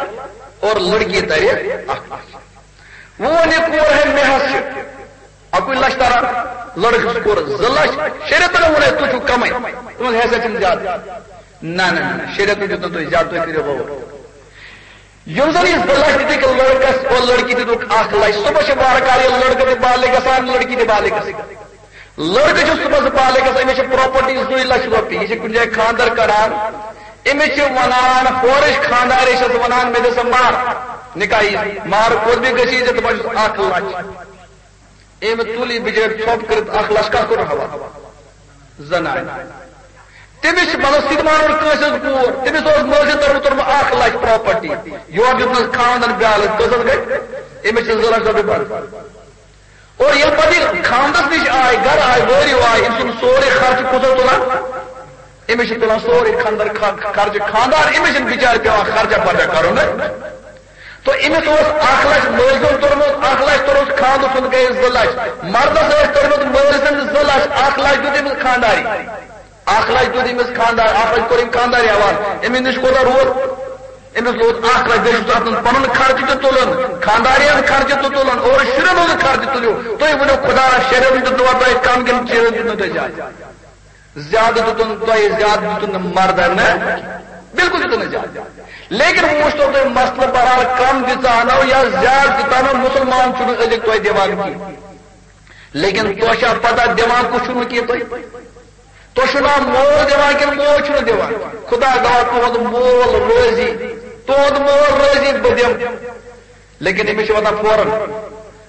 اور لڑکی ترِ اکھ لچھ۔ وۄنۍ یہِ کور ہے مےٚ حظ چھِ اَکُے لچھ تران، لڑکس کوٚر زٕ لچھ، شریعتن ووٚن ہے تُہۍ چھِو کمٕے، تُہنٛز حیثیت چھِنہٕ زیادٕ۔ نہ، نہ، نہ، شریعتن دیُت نہٕ تُہۍ زیادٕ، تُہۍ کٔرِو غور۔ یِم زن یہِ زٕ لچھ دِتِکھ لڑکس اور لڑکی دِتُکھ اکھ لچھ، صبح چھِ وارٕ کارٕ یہِ لڑکہٕ تہِ بالغ گژھان، لڑکی تہِ بالغ گژھان۔ لڑکہٕ چھُ صبحس بالغ گژھان، أمِس چھِ پراپرٹی زٕے لچھ رۄپیہِ، یہِ چھِ کُنہِ جایہِ خانٛدر کران، أمِس چھِ ونان، ہورٕچ خانٛدارِ چھَس ونان، مےٚ دِ سا مہر، نکاح یی، مہر کوٚت بیٚیہِ گژھی ژےٚ؟ دَپان چھُس، اکھ لچھ۔ أمۍ تُل یہِ بِچٲرۍ ژھۄپ کٔرِتھ اکھ لچھ، کتھ کوٚر حوالہٕ؟ زنانہِ۔ تٔمِس چھِ مطلب سُہ تہِ مانُن کٲنٛسہِ ہٕنٛز کوٗر، تٔمِس اوس مٲلۍ سٕنٛدِ طرفہٕ توٚرمُت اکھ لچھ پراپرٹی، یورٕ دیُتنَس خاوندن بیالس، کٔژَس گٔے؟ أمِس چھِ زٕ لچھ رۄپیہِ بنٛد۔ اور ییٚلہِ پتہٕ یہِ خاوندس نِش آے، گرٕ آے، وٲرِو آے، أمۍ سُنٛد سورُے خرچہٕ کُس اوس تُلان؟ أمِس چھِ تُلان سورُے خانٛدر، خ-، خرچہٕ خانٛدار، أمِس چھِنہٕ بِچارِ پٮ۪وان خرچہ پرچہ کرُن۔ تو أمِس اوس اکھ لچھ مٲلۍ سُنٛد توٚرمُت، اکھ لچھ توٚرمُت خانٛدٕ سُنٛد، گٔیے زٕ لچھ۔ مردس ٲسۍ توٚرمُت مٲلۍ سٕنٛدۍ زٕ لچھ، اکھ لچھ دیُت أمِس خانٛداری، اکھ لچھ دیُت أمِس خانٛدار، اکھ لچھ کوٚر أمۍ خانٛداری حوالہٕ۔ أمِس نِش کوٗتاہ روٗد؟ أمِس لوٚگ اکھ لچھ، بیٚیہِ چھُس اَتھ منٛز پنُن خرچہٕ تہِ تُلُن، خانٛدارِ ہُنٛد خرچہٕ تہِ تُلُن، اورٕ شُرٮ۪ن ہُنٛد خرچہٕ تُلِو۔ تُہۍ ؤنِو، خۄدایا، شُرٮ۪ن ہُنٛد دیُتنوا تۄہہِ کم کِنہٕ شُرٮ۪ن دیُت نہٕ تۄہہِ زیادٕ؟ زیادٕ دیُتُن تۄہہِ، زیادٕ دیُتُن نہٕ مردن، نہ، بِلکُل دیُتُن نہٕ زیادٕ۔ لیکن وۄنۍ وٕچھتو تُہۍ مسلہٕ، بہرحال کم دِژانو یا زیادٕ دِژانو، مُسلمان چھُنہٕ أزیُک تۄہہِ دِوان کینٛہہ۔ لیکن تۄہہِ چھا پتہ دِوان کُس چھُنہٕ کینٛہہ تۄہہِ؟ تۄہہِ چھُو نا مول دِوان کِنہٕ موج چھُنہٕ دِوان؟ خدا گواہ، تُہُنٛد مول رٲضی، تُہُنٛد مول رٲضی، بہٕ دِمہٕ۔ لیکن أمِس چھِ واتان فوراً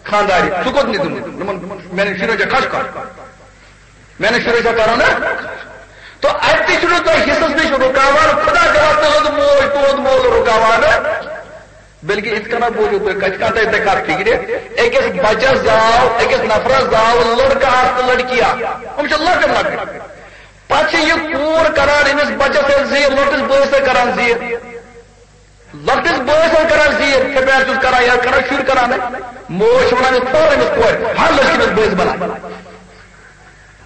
خانٛدارِ، ژٕ کوٚت نہٕ دیُتمُت؟ دوٚپُن، میٛانٮ۪ن شُرٮ۪ن چھا کھش کر؟ میٛانٮ۪ن شُرٮ۪ن چھا کران نا؟ تو اَتہِ تہِ چھُنہٕ تۄہہِ حصس نِش رُکاوان، خدا گواہ، تُہُنٛد موج، تُہُنٛد مول رُکاوان۔ بلکہ یِتھ کٔنۍ بوٗزِو تُہۍ، کَتہِ کانٛہہ تۄہہِ تۄہہِ کَتھ فِکرِ، أکِس بَچَس زاو، أکِس نفرَس زاو لٔڑکہٕ اَکھ تہٕ لٔڑکی اَکھ۔ یِم چھِ لۄکٕٹۍ لۄکٕٹۍ۔ پَتہٕ چھِ یہِ کوٗر کَران أمِس بَچَس سۭتۍ زیٖر، لۄکٹِس بٲیِس سۭتۍ کَران زیٖر۔ لۄکٹِس بٲیِس سۭتۍ کَران زیٖر، تھپٮ۪ر چھُس کَران یا کَران شُرۍ کَران۔ موج چھِ وَنان، یہِ تھوٚو أمِس کورِ، ہا لٔڑکی أمِس بٲیِس بَلاے۔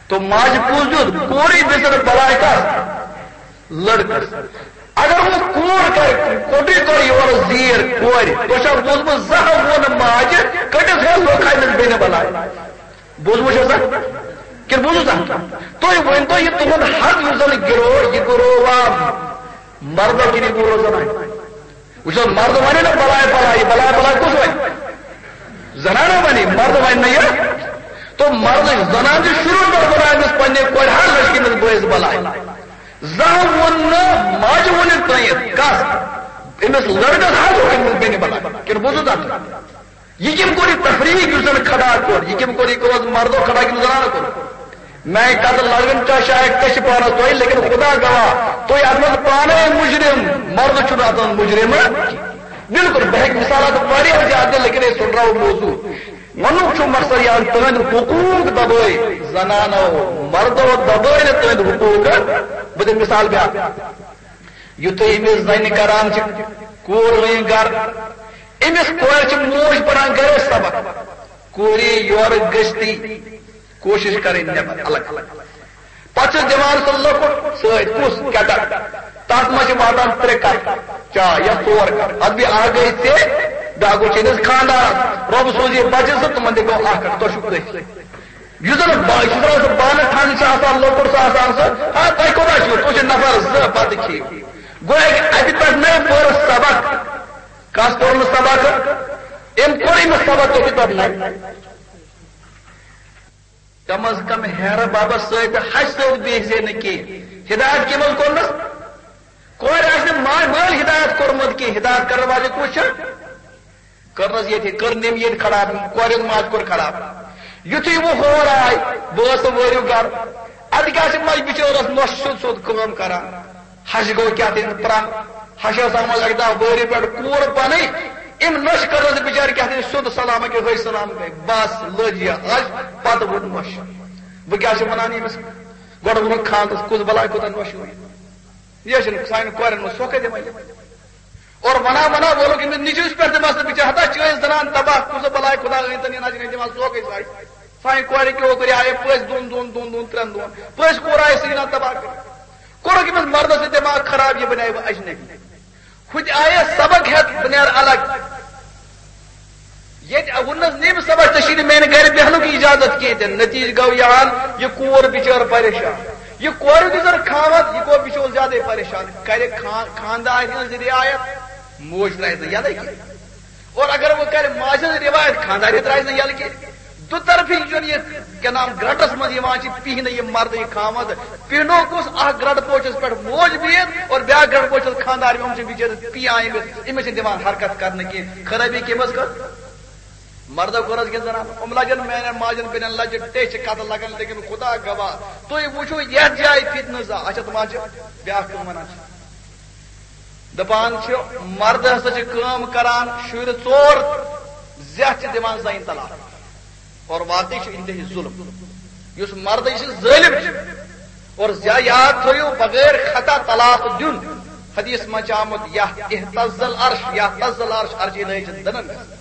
تو ماجہِ کُس دیُت؟ کورٕے دِژٕن بَلاے کَس؟ لٔڑکَس۔ اگر وۄنۍ کوٗر کَرِ، کوٚٹُے کَرِ یورٕ زیٖر کورِ، تۄہہِ چھا بوٗزمُت زانٛہہ ووٚن ماجہِ، کٔٹِس ہے لوٚگ أمِس بیٚنہِ بَلاے؟ بوٗزمُت چھا سا؟ کِنہٕ بوٗزمُت سا؟ تُہۍ ؤنۍ تو، یہِ تُہُنٛد حق یُس زَن گِروو، یہِ گِرووا مردو کِنہٕ یہِ گِروو زَنانہِ؟ وٕچھ حظ، مرد وَنہِ نہ بَلاے بَلاے، یہِ بَلاے بَلاے کُس وَنہِ؟ زنانہ وَنہِ، مرد وَنہِ نہ یہِ۔ تو مرد، زنان چھِ شروع پٮ۪ٹھ وَنان أمِس پنٛنہِ کورِ، ہر لٔڑکی أمِس بٲیِس بَلاے۔ زانٛہہ ووٚن نہٕ ماجہِ ووٚن یہِ ترٛٲیِتھ کَس، أمِس لٔڑکَس ہر ووٚن أمِس بیٚنہِ بَلاے۔ کِنہٕ بوٗزُو تَتھ؟ یہِ کٔمۍ کوٚر یہِ تفریق یُس زَن کھڑا کوٚر؟ یہِ کٔمۍ کوٚر؟ یہِ کوٚر حظ مردو کھڑا کِنہٕ زنانو کوٚر؟ میٛانہِ کتھٕ لگن چا شاید کشِ پانس تۄہہِ، لیکن خدا گواہ، تُہۍ اتھ منٛز پانے مجرم، مرد چھُنہٕ اتھ منٛز مجرم۔ بالکل، بہٕ ہیٚکہٕ مثالات واریاہ زیادٕ دِتھ، لیکن أسۍ ژھُنراوو موضوع۔ ونُک چھُ مقصد یہِ، تُہنٛدۍ حقوق دبٲے زنانو، مردو دبٲے نہٕ تُہنٛدۍ حقوق۔ بہٕ دِمہٕ مثال بیٛاکھ۔ یُتھُے أمِس زنہِ کران چھِ کوٗر وۄنۍ گرٕ، أمِس کورِ چھِ موج پران گرے سبق، کوٗرِ یورٕ گٔژھتٕے کوٗشِش کَرٕنۍ نٮ۪بر الگ۔ پَتہٕ چھِس دِوان سُہ لۄکُٹ سۭتۍ، کُس؟ کٮ۪ٹَل۔ تَتھ منٛز چھِ واتان ترٛےٚ کَپ چاے یا ژور کَپ۔ اَدٕ بیٚیہِ اَکھ گٔے ژےٚ، بیٛاکھ گوٚو چٲنِس خانٛدارَس۔ رۄب سوٗز یہِ بَچہِ زٕ، تِمَن دِ گوٚو اَکھ کَپ، تۄہہِ چھُو کٔتھۍ۔ یُس زَن با-، یُس زَن سُہ بانہٕ ٹھانہٕ چھُ آسان، لۄکُٹ چھُ آسان سُہ، ہا، تۄہہِ کوٗتاہ چھُو؟ تُہۍ چھِو نفر زٕ، بَتہٕ کھیٚیِو۔ گوٚو اَکہِ اَتہِ پٮ۪ٹھ نَے پوٚر سبق۔ کَس پوٚر نہٕ سبق؟ أمۍ کوٚر أمِس سبق أتھۍ پٮ۪ٹھ نَے۔ کم از کم ہیرٕ بابس سۭتۍ تہٕ ہَشہِ سۭتۍ بیٚہزِ نہٕ کینٛہہ۔ ہدایت کٔمۍ حظ کوٚرنس؟ کورِ آسہِ نہٕ ما-، مٲلۍ ہدایت کوٚرمُت کینٛہہ، ہدایت کرن واجہِ کُس چھِ؟ کٔرنس ییٚتہِ، کٔر نٔمۍ ییٚتہِ خراب، کورِ ہُنٛد ماجہِ کوٚر خراب۔ یُتھُے وۄنۍ ہور آے، بہٕ ٲسٕس وٲرِو گرٕ۔ اَتہِ کیٛاہ چھِ مَجہِ بِچٲرِس نۄشہِ سیوٚد سیوٚد کٲم کران؟ ہَشہِ گوٚو کیٛاہ تام ترٛٹھ۔ ہَشہِ ٲس آمٕژ اَکہِ دۄہ وٲرِو پٮ۪ٹھ کوٗر پَنٕنۍ، أمۍ نۄشہِ کٔرنَس بِچارِ کیٛاہ تام سیوٚد سلام، أکیٛاہ ۂج سلام گٔے۔ بَس لٔج یہِ ہَش، پَتہٕ ووٚن نۄشہِ۔ وۄنۍ کیٛاہ چھِ وَنان ییٚمِس؟ گۄڈٕ ووٚنُکھ خانٛدرَس، کُس بَلاے کوٗتاہ نۄشہِ ووٚن؟ یہِ چھِنہٕ سانٮ۪ن کورٮ۪ن منٛز سۄکھَے دِوان یہِ۔ اور وَنان وَنان وولُکھ أمِس نیٚچوِس پٮ۪ٹھ تہِ مسلہٕ، بِچارِ ہتا چٲنۍ زنان تباہ، کُس بَلاے خۄدا أنۍ تَن یہِ نَظرِ دِوان سۄکھَے سایہِ۔ پننہِ کورِ کیو کٔر آیہِ پٔژھۍ دۄن دۄن، دۄن دۄن، ترٛٮ۪ن دۄہن۔ پٔژھۍ کوٗر آیہِ سیٖنا تباہ کٔرِتھ۔ کوٚرُکھ أمِس مردس سۭتۍ دٮ۪ماغ خراب، یہِ بنیٛاو اجنبی۔ ہُہ تہِ آیہِ سبق ہٮ۪تھ، بہٕ نیرٕ الگ۔ ییٚتہِ ووٚننس نہٕ أمِس سبق، ژےٚ چھُے نہٕ میانہِ گرِ بیٚہنُک اجازت کینٛہہ تہِ۔ نتیجہٕ گوٚو یہِ ہن، یہِ کوٗر بِچٲر پریشان۔ یہِ کورِ تہِ زن خاوند، یہِ گوٚو بِچور زیادَے پریشان۔ کرِ خان-، خاندارِ ہٕنٛز رعایت، موج ترٛایہِ نہٕ یَلہٕ کینٛہہ۔ اور اگر وۄنۍ کرِ ماجہِ ہٕنٛز رعایت، خاندارِ ترٛایہِ نہٕ یَلہٕ کینٛہہ۔ دُطرفی یُس زن یہِ کیٛاہ نام گرٹس منٛز یِوان چھِ، پِہنہٕ یہِ مرد یہِ خاوند، پِہنو کُس؟ اکھ گرٹہٕ پوچھس پٮ۪ٹھ موج بِہِتھ اور بیٛاکھ گرٹہٕ پوچھس خاندار، یِم چھِ بِچٲرِس پِیان أمِس، أمِس چھِ دِوان حرکت کرنہٕ کینٛہہ۔ خرٲبی کٔمِس کٔر؟ مردو کٔر حظ کِنہٕ زنان؟ یِم لجن میانٮ۪ن ماجن بیٚنٮ۪ن لجہِ ٹیچھِ کتھٕ لگان، لیکن خدا گواہ، تُہۍ وٕچھِو یتھ جایہِ فتنہٕ زا، اچھا تِم حظ چھِ بیٛاکھ کٲم ونان چھِ۔ دپان چھِ، مرد ہسا چھِ کٲم کران، شُرۍ ژور زیٹھ چھِ دِوان زنہِ طلاق۔ اور واقعی چھُ انتہٲئی ظلم۔ یُس مرد، یہِ چھُ ظٲلم چھُ۔ اور زیا-، یاد تھٲیِو، بغیر خطا طلاق دیُن۔ حدیث منٛز چھُ آمُت، یا اہتز العرش، یا اہتز العرش، عرش الہی چھِ دٕنان گژھان۔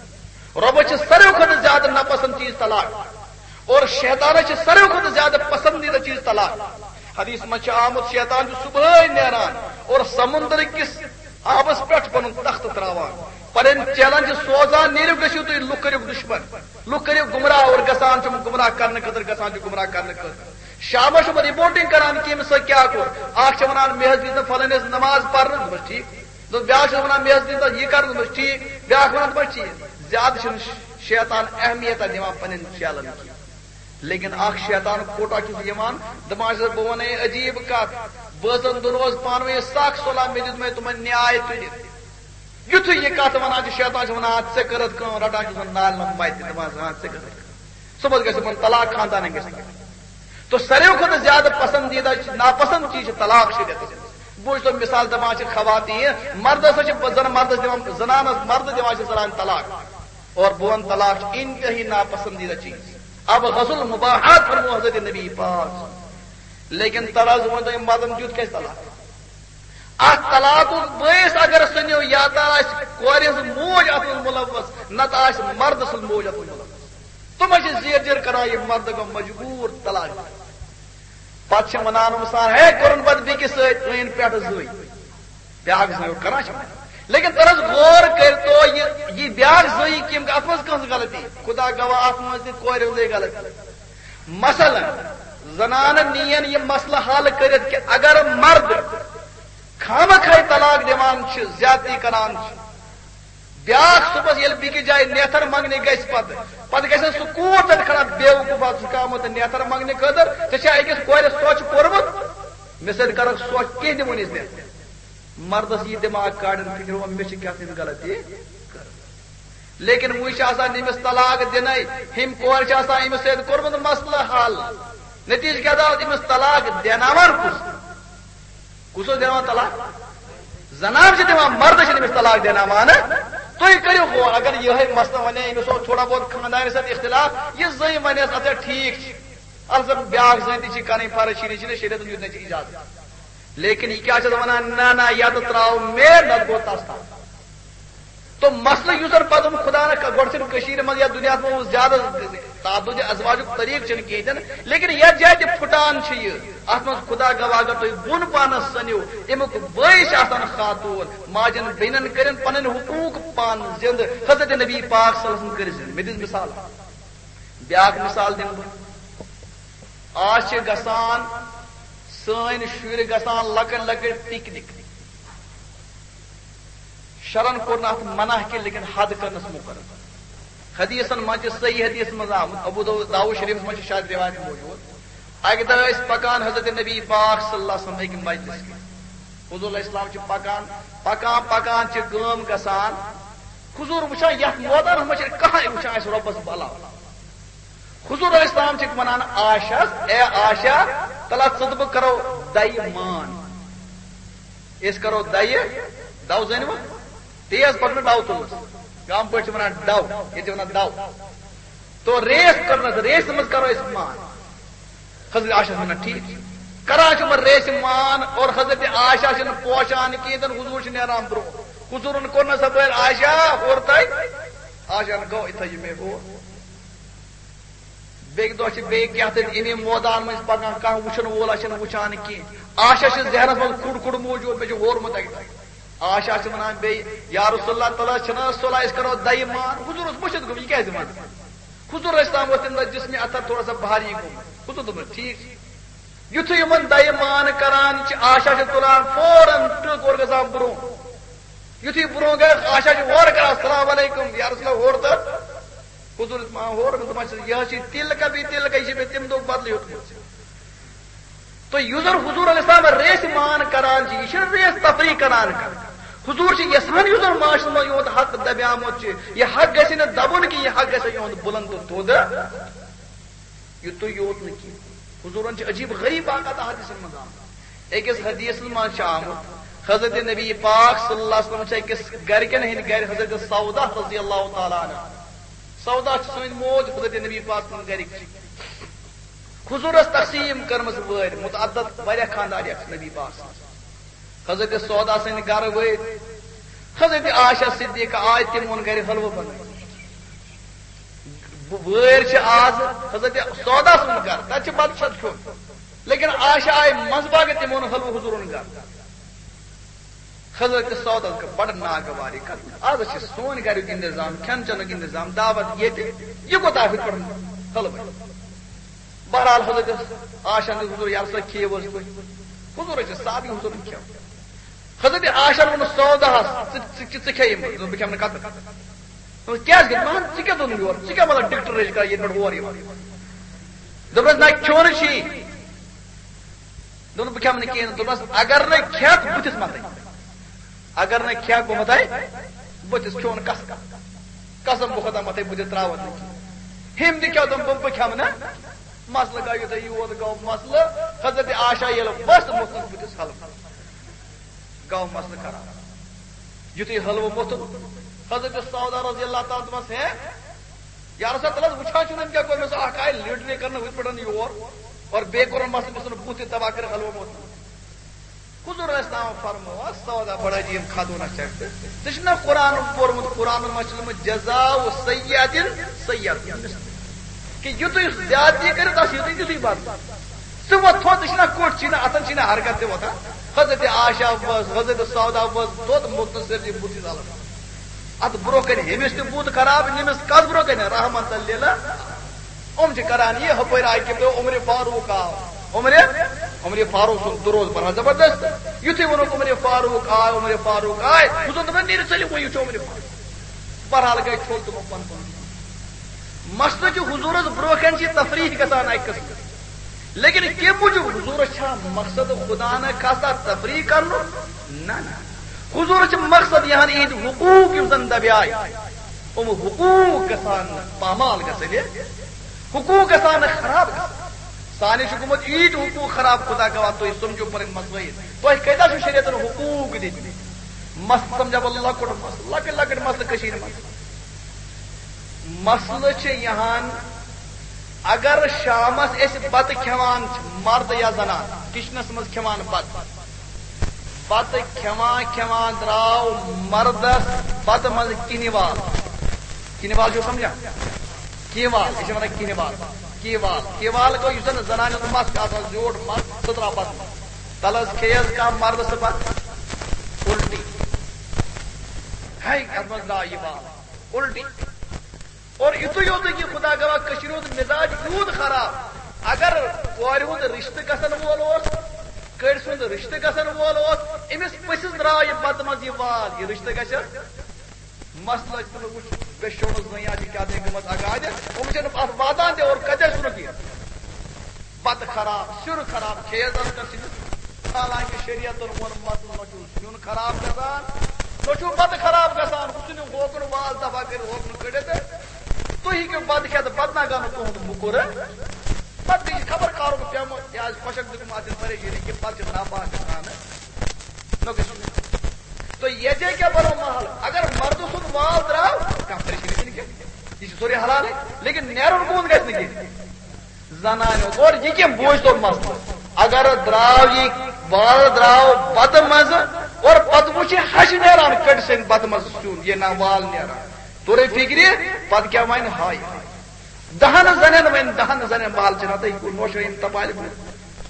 رۄبس چھِ ساروی کھۄتہٕ زیادٕ ناپسند چیز طلاق۔ اور شیطانس چھِ ساروی کھۄتہٕ زیادٕ پسندیدہ چیز طلاق۔ حدیث منٛز چھُ آمُت، شیطان چھُ صبحٲے نیران اور سمندر کِس آبس پٮ۪ٹھ پنُن تخت تراوان، پنٕنۍ چیلنج سوزان، نیٖرِو، گٔژھِو تُہۍ، لُکھ کٔرِو دُشمن، لُکھ کٔرِو گمراہ، اور گژھان چھُ گمراہ کرنہٕ خٲطرٕ، گژھان چھُ گمراہ کرنہٕ خٲطرٕ۔ شامس چھُ رپورٹنگ کران کہِ أمِس سۭتۍ کیٛاہ کوٚر۔ اکھ چھِ ونان، مےٚ حظ دِژ نہٕ فلٲنِس نماز پرنہٕ، دوٚپمس ٹھیٖک۔ دوٚپ، بیٛاکھ چھُ ونان، مےٚ حظ دِژ نہٕ یہِ کرنہٕ، دوٚپمس ٹھیٖک۔ بیٛاکھ ونان، دوٚپمس ٹھیٖک۔ زیادٕ چھُنہٕ شیطان اہمیت دِوان پننٮ۪ن چیلن کینٛہہ۔ لیکن اکھ شیطان کوٹا چھُس یِوان، دپان چھُس، بہٕ ونے عجیب کتھ، بٲژن دۄن اوس پانہٕ ؤنۍ سخ صلح، مےٚ دیُت مےٚ تِمن نیاے تُلِتھ۔ یُتھُے یہِ کتھ ونان چھُ، شیطان چھُ ونان، ژےٚ کٔرٕتھ کٲم، رٹان چھُس نالہِ منٛز متہِ، دپان چھُس، ہاں، ژےٚ کٔرٕتھ کٲم۔ صُبحس گژھِ تِمن طلاق، خاندانن گژھِ طلاق۔ تو ساروی کھۄتہٕ زیادٕ پسندیدہ، ناپسند چیز چھُ طلاق شریعتس منٛز۔ بوٗز تو مثال، دپان چھِ خواتین، مردس ہسا چھِ زن مردس دِوان، زنانس مرد دِوان چھِ زنانہِ طلاق۔ اور بہٕ ونہٕ، طلاق چھُ انتہٲئی ناپسندیدہ چیز۔ اب غسل مباحات فرمو حضرت نبی پاک۔ لیکن تر حظ وۄنۍ تۄہہِ مردن دیُت کیٛازِ طلاق؟ اتھ طلاقُک بٲعث اگر سُہ نِیو، یا تہ آسہِ کورِ ہٕنٛز موج اتھ منٛز ملوث، نتہٕ آسہِ مردٕ سٕنٛز موج اتھ منٛز ملوث۔ تِم حظ چھِ زیر زیر کران، یہِ مردٕ گوٚو مجبوٗر طلاق دِنہٕ۔ پتہٕ چھِ ونان یِم سان، ہے، کوٚرُن پتہٕ بیٚکِس سۭتۍ، أنۍ پٮ۪ٹھٕ زٕے۔ بیٛاکھ زٲوۍ کران چھِ۔ لیکن تر حظ غور کٔرۍتو، یہِ، یہِ بیٛاکھ زٲوۍ کِم، اتھ منٛز کٕہٕنٛز غلطی؟ خدا گواہ، اتھ منٛز تہِ کورِ ہٕنٛزٕے غلطی۔ مثلاً، زنانہٕ نِین یہِ مسلہٕ حل کٔرِتھ کہِ اگر مرد خامخاے طلاق دِوان چھِ، زیادتی کران چھِ، بیٛاکھ صُبحس ییٚلہِ بیٚکِس جایہِ نیتھر منٛگنہِ گژھِ پتہٕ، پتہٕ گژھِ سُہ کوٗر تتہِ کھڑا، بیوقوٗفا، ژٕ چھُکھ آمُت نیتھر منٛگنہِ خٲطرٕ، ژےٚ چھا أکِس کورِ سۄچھ پوٚرمُت؟ مےٚ سۭتۍ کَرَکھ سۄچھ، کینٛہہ دِمو نہٕ أسۍ نیتھر۔ مردس یی دٮ۪ماغ کاڑن فکر، وۄنۍ مےٚ چھِ کیٛاہ تام غلطی کٔرمٕژ۔ لیکن وۄنۍ چھِ آسان أمِس طلاق دِنَے، ہیٚمۍ کورِ چھِ آسان أمِس سۭتۍ کوٚرمُت مسلہٕ حل۔ نتیجہٕ کیٛاہ درٛاو؟ أمِس طلاق دیناوان کُس؟ کُس اوس دیناوان طلاق؟ زنان چھِ دِوان، مردس چھِنہٕ أمِس طلاق دیناوان۔ تُہۍ کٔرِو غور، اگر یِہوٚے مسلہٕ وَنے، أمِس اوس تھوڑا بہت خانٛدارِ سۭتۍ اختلاف، یہِ زٔنۍ وَنٮ۪س، اَدٕ ٹھیٖک چھِ، اَلبتہ بیٛاکھ زٔنۍ تہِ چھِ کَرٕنۍ فرض، شیٖرِتھ چھِنہٕ، شریعتن دیُت نہٕ ژےٚ اِجازت۔ لیکن یہِ کیٛاہ چھَس وَنان؟ نہ، نہ، یا تہٕ ترٛاو مےٚ، نَتہٕ گوٚو تَس تام۔ تو مسلہٕ یُس زَن پَتہٕ اوٚن خدا نہ، گۄڈٕ چھِنہٕ کٔشیٖرِ منٛز یا دُنیاہَس منٛز زیادٕ تعدُدِ ازواجُک طریٖقہٕ چھِنہٕ کِہیٖنۍ تہِ نہٕ، لیکن یَتھ جایہِ تہِ پھُٹان چھِ یہِ، اَتھ منٛز خدا گواہ، اگر تُہۍ بۄن پانَس سٔنِو، اَمیُک بٲعث چھِ آسان خاتوٗن، ماجَن بیٚنٮ۪ن کٔرِن پَنٕنۍ حقوٗق پانہٕ زِنٛدٕ۔ حضرت نبی پاک صلی اللہ علیہ وسلم کٔرۍ زِنٛدٕ۔ مےٚ دِژ مِثال۔ بیٛاکھ مِثال دِمہٕ بہٕ۔ آز چھِ گژھان سٲنۍ شُرۍ گژھان لۄکٕٹۍ لۄکٕٹۍ پِکنِک۔ شرن کوٚر نہٕ اتھ منع کینٛہہ، لیکن حد کرنس مقرر۔ حدیثن منٛز چھِ، صحیح حدیث منٛز آمُت، ابو داؤد، داؤد شریفس منٛز چھِ شاید روایت موجود۔ اکہِ دۄہ ٲسۍ پکان حضرت نبی پاک صلی اللہ علیہ وسلم أکہِ مجلس منٛز۔ حضور علیہ السلام چھِ پکان، پکان، پکان چھِ کٲم گژھان۔ حضور وٕچھان، یتھ میدانس منٛز چھِ کانٛہہ وٕچھان اَسہِ رۄبس بلاو۔ حضور علیہ السلام چھِ ونان عائشہس، اے عائشہ، تلا ژٕ تہٕ بہٕ کرو دَیہِ مان۔ أسۍ کرو دَیہِ، دَو زٲنِوٕ؟ تیز پٲٹھۍ نہٕ ڈَو تُلُس۔ گامہٕ پٲٹھۍ چھِ ونان ڈَو، ییٚتہِ چھِ ونان دَو۔ تو ریس کٔرنَس، ریسہِ منٛز کرو أسۍ مان۔ حضرت عائشہ چھِ ونان، ٹھیٖک چھُ۔ کران چھِ یِمن ریسہِ مان اور حضرت عائشہ چھِنہٕ پوشان کِہیٖنۍ تہِ نہٕ، حضور چھِ نیران برٛونٛہہ۔ حضورن کوٚر نہ سا بٲرۍ عائشہ ہورٕ تَے؟ عائشہ ہن گوٚو یِتھَے یہِ مےٚ ہور۔ بیٚکہِ دۄہ چھِ بیٚیہِ کیٛاہ تام اَمی مٲدان منٛز پکان، کانٛہہ وٕچھن وول چھُنہٕ وٕچھان کینٛہہ۔ عائشہ چھِ ذہنس منٛز کُڑ کُڑ موٗجوٗد، مےٚ چھُ ہورمُت اَکہِ دۄہ۔ عائشہ چھِ وَنان بیٚیہِ، "یا رسول اللہ، تَلہٕ حظ چھِنہٕ حظ صلح، أسۍ کرو دَیہِ مان۔" حضور اوس مٔشِتھ گوٚمُت، یہِ کیٛازِ وَنان؟ حضور ٲسۍ تام ووت تَمہِ دۄہ جسمِ اطہر تھوڑا سا بھاری گوٚمُت۔ حضور دوٚپُن، "ٹھیٖک چھُ۔" یُتھُے یِمن دَیہِ مان کران چھِ، عائشہ چھِ تُلان فوراً ٹٕک اور گژھان برٛونٛہہ۔ یُتھُے برٛونٛہہ گٔے، عائشہ چھِ ہورٕ کران، "السلام علیکم یا رسول اللہ، ہورٕ تہٕ۔" حضور ما ہورٕ، دوٚپمَس، "یہِ حظ چھِ تِلکہ بی تِلکہ، یہِ چھِ مےٚ تَمہِ دۄہ بدلہٕ ہیوٚتمُت۔" تہٕ یُس زَن حضور علیہ السلام ریس مان کران چھِ، یہِ چھِنہٕ ریس تفریح کران کانٛہہ۔ حضور چھِ یژھان یُس زَن معاشرَس منٛز یِہُنٛد حق دبیومُت چھُ، یہِ حق گژھِ نہٕ دبُن کینٛہہ، یہِ حق گژھِ یِہُنٛد بُلند تہٕ تھوٚد۔ یُتُے یوت نہٕ کینٛہہ، حضوٗرن چھِ عجیٖب غریٖب باقاعدٕ حدیثن منٛز آمُت۔ أکِس حدیثس منٛز چھُ آمُت، حضرت نبی پاک صلی اللہ علیہ وسلم چھِ أکِس گرِکٮ۪ن ہٕنٛدۍ گرِ حضرت سودا رضی اللہ تعالیٰ عنہ۔ سودا چھِ سٲنۍ موج، حضرت نبی پاک سٕنٛز گرِکۍ چھِ۔ حضوٗرس تقسیٖم کٔرمٕژ وٲرۍ، متعدد واریاہ خاندار یتھ نبی پاک سٕنٛز۔ حضرت سودا سٕنٛدِ گرٕ وٲتۍ۔ حضرت عائشہ صدیقہ آیہِ، تِمن گرِ حلوٕ بنٲوِتھ۔ وٲرۍ چھِ آز حضرت سودا سُنٛد گرٕ، تَتہِ چھِ بَتہٕ شَتہٕ کھیوٚن۔ لیکن عائشہ آیہِ منٛزٕ باگہٕ، تِمو اوٚن حلوٕ حضوٗرُن گرٕ۔ حضرت سوداہَس گٔے بَڑٕ ناگواری کَتھ۔ آز چھِ سون گریُک انتظام، کھٮ۪ن چٮ۪نُک انتظام، دعوت ییٚتہِ، یہِ کوٗتاہ ہُتھ پٲٹھۍ حلوٕ؟ بہرحال حضرت عائشہ ہَن دوٚپ، "حضوٗر، یَلہٕ سا کھیٚیِو حظ تُہۍ۔" حضوٗر حظ چھِ سادٕ حضوٗرُن کھٮ۪وان۔ حضرت عائشہ ووٚن سوداہَس، "ژٕ، ژٕ، ژٕ، ژٕ کھے یِم؟" دوٚپُن، "بہٕ کھٮ۪مہٕ نہٕ کَتٕر۔" دوٚپُن، "کیٛازِ کھٮ۪مہٕ نہٕ؟ ژٕ کیٛاہ دوٚن یورٕ؟ ژٕ کیٛاہ مطلب ڈِکٹیٹرٕچ کَتھ ییٚتہِ پٮ۪ٹھ ہور یِوان؟" دوٚپنَس، "نہ، کھیوٚن چھُے۔" دوٚپُن، "بہٕ کھٮ۪مہٕ نہٕ کِہیٖنۍ۔" دوٚپنَس، "اگر نہٕ کھٮ۪کھ، بٕتھِس مَتَے۔ اگر نہٕ کھٮ۪کھ، بہٕ مَتَے بٕتھِس، کھیوٚن قسم۔ قسم بہٕ خۄدا مَتَے، بہٕ تہِ ترٛاوَتھ نہٕ کِہیٖنۍ۔" ہُمۍ تہِ کیٛاہ دوٚپ، "بہٕ، بہٕ کھٮ۪مہٕ نہٕ۔" مسلہٕ گوٚو یُتھُے یوت گوٚو مسلہٕ، حضرت عائشہ ییٚلہِ ؤژھ، موٚتھُن بٕتھِس حلوٕ۔ گوٚو مسلہٕ خراب۔ یُتھُے حلوٕ موٚتھُن، حضرت سودا رضی اللہ تعالیٰ عنہَس، "ہے، یا رسول اللہ، وٕچھان چھُنہٕ أمۍ کیٛاہ کوٚر مےٚ؟ سُہ اکھ آیہِ لیٖڈری کرنہٕ ہُتھ پٲٹھۍ یور، اور بیٚیہِ کوٚرُن مسلہٕ، مےٚ ژھُنُن بُتھ تہِ تباہ کٔرِتھ حلوٕ موٚتھُن۔" حضور علیہ السلام فرموو، "سودا، بڑا جی، یِم کھدو نہ چڑھتے۔ ژےٚ چھُکھ نہ قرآن پوٚرمُت، قرآنَس منٛز چھُ لیوٚکھمُت، جزاء سیئۃ سیئۃ۔" کہ یُتُے زیادتی کٔرِو، تَس یُتُے تیُتُے بدلہٕ۔ ژٕ وۄتھ تھوٚد، ژٕ چھِنہ کوٚٹھۍ، چھِنہ اَتھَن، چھِنہ حرکت تہِ وۄتھان۔ حضرت عائشہ ؤژھ، حضرت سودا ؤژھ، دۄد موٚتھ نہٕ سٲرسٕے بُتھِس الگ۔ اَتھ برونٛہہ کَنہِ ہیٚمِس تہِ بُتھ خراب، نِمِس کَتھ برونٛہہ کَنہِ؟ رحمت للہ۔ یِم چھِ کران یہِ، ہُپٲرۍ آیہِ قبلہٕ، عمر فاروق آو۔ عمر، عمر فاروق سُنٛد دُروز پَران زبردست۔ یُتھُے ووٚنُکھ، "عمر فاروق آے، عمر فاروق آے"، حضور دوٚپُن، "نیٖرِو سٲلِم، وۄنۍ وٕچھو عمر فاروق۔" بہرحال گٔے ٹھوٚل تِمو پَنُن پَنُن۔ مسلہٕ چھُ حضوٗرَس برونٛہہ کَنہِ چھِ تفریح گژھان اَکہِ قٕسمہٕ۔ لیکن کَمہِ موٗجوٗب؟ حضوٗرَس چھا مقصد خدا نہ خاصا تفریح کَرنُک؟ نہ، نہ۔ حضوٗرَس چھِ مقصد یِہَن یِہِنٛدۍ حقوٗق یِم زَن دَبیٛاے، یِم حقوٗق گژھان نہٕ پامال گژھٕنۍ، حقوٗق گژھان نہٕ خراب گژھٕنۍ۔ سانہِ چھُ گوٚمُت ییٖتۍ حقوٗق خراب، خدا گواہ، تُہۍ سَمجھِو پَنٕنۍ مسلٲیِل۔ تۄہہِ کۭتیٛاہ چھُو شریعتَن حقوٗق دِتمٕتۍ؟ مسلہٕ سَمجھاو بہٕ لۄکُٹ مسلہٕ، لۄکٕٹۍ لۄکٕٹۍ مسلہٕ کٔشیٖرِ منٛز۔ مسلہٕ چھِ یِہان، اگر شامس أسۍ بتہٕ کھٮ۪وان چھِ، مرد یا زنان کچنس منٛز کھٮ۪وان بتہٕ، بتہٕ کھٮ۪وان کھٮ۪وان درٛاو مردس بتہٕ منٛز کِنہِ وال۔ کِنہِ وال چھِو سمجھان؟ کِنہِ وال، یہِ چھِ ونان کِنہِ وال۔ کِنہِ وال، کِنہِ وال گوٚو یُس زن زنانہِ ہُنٛد مس چھُ آسان، زیوٗٹھ مس، سُہ درٛاو بتہٕ منٛز۔ تلہٕ حظ کھیٚیہِ حظ کانٛہہ مردٕ سُہ بتہٕ، الٹی۔ ہے، اتھ منٛز درٛاو یہِ وال۔ الٹی۔ اور یِتُے یوت نہٕ کینٛہہ، خدا گواہ، کٔشیٖرِ ہُنٛد مِزاج یوٗت خراب۔ اگر کورِ ہُنٛد رِشتہٕ گژھن وول اوس، کٔرۍ سُنٛد رِشتہٕ گژھن وول اوس، أمِس پٔژھِس درٛاو یہِ بتہٕ منٛز یہِ وال، یہِ رِشتہٕ گژھِ۔ مسلہٕ چھُ نہٕ وٕچھ، بے شونُس زٔنۍ آسہِ کیٛاہ دٔلیٖل گٔمٕژ اگادِ، یِم چھِنہٕ اَتھ واتان تہِ اور کَتہِ آسہِ نہٕ کینٛہہ۔ بتہٕ خراب، سیُن خراب، کھیٚیَس اَتھ کٔرسٕے نہٕ۔ حالانکہ شریعتن ووٚن، مسلہٕ نہ چھُ سیُن خراب گژھان، نہ چھُ بتہٕ خراب گژھان۔ حُسنہِ ہوکُن وال دفع کٔرِتھ، ہوکُن کٔڑِتھ۔ تُہۍ ہیٚکِو بتہٕ کھٮ۪تھ، بتہٕ نہ گنہٕ تُہُنٛد موٚکُر۔ پتہٕ گٔے یہِ خبر کَرُک پیوٚمُت، یہِ آسہِ خۄشک دیُتمُت، اَتھ چھِ پریشٲنی کہِ پتہٕ چھِ ناپاک گژھان۔ نہ گژھِ نہٕ۔ تہٕ ییٚتہِ کیٛاہ بنوو ماحول؟ اگر مردٕ سُنٛد وال درٛاو، کانٛہہ پریشٲنی چھِنہٕ کینٛہہ، یہِ چھُ سورُے حلالٕے، لیکن نیرُن کُن گژھِ نہٕ کینٛہہ۔ زنانہِ ہُنٛد۔ اور یہِ کیٛاہ بوٗزتو مسلہٕ؟ اگر درٛاو یہِ وال درٛاو بتہٕ منٛزٕ اور پتہٕ وُچھ یہِ ہَش نیران کٔٹۍ سٕنٛدِ بتہٕ منٛزٕ سیُن، یہِ نہ وال نیران، توٚرُے فِکرِ، پتہٕ کیٛاہ وَنہِ؟ ہاے ہاے۔ دَہَن زَنٮ۪ن وۄنۍ، دَہَن زَنٮ۪ن وال چھِ رَٹٕنۍ، کُل نوشٲیِن تَپالہِ کُل۔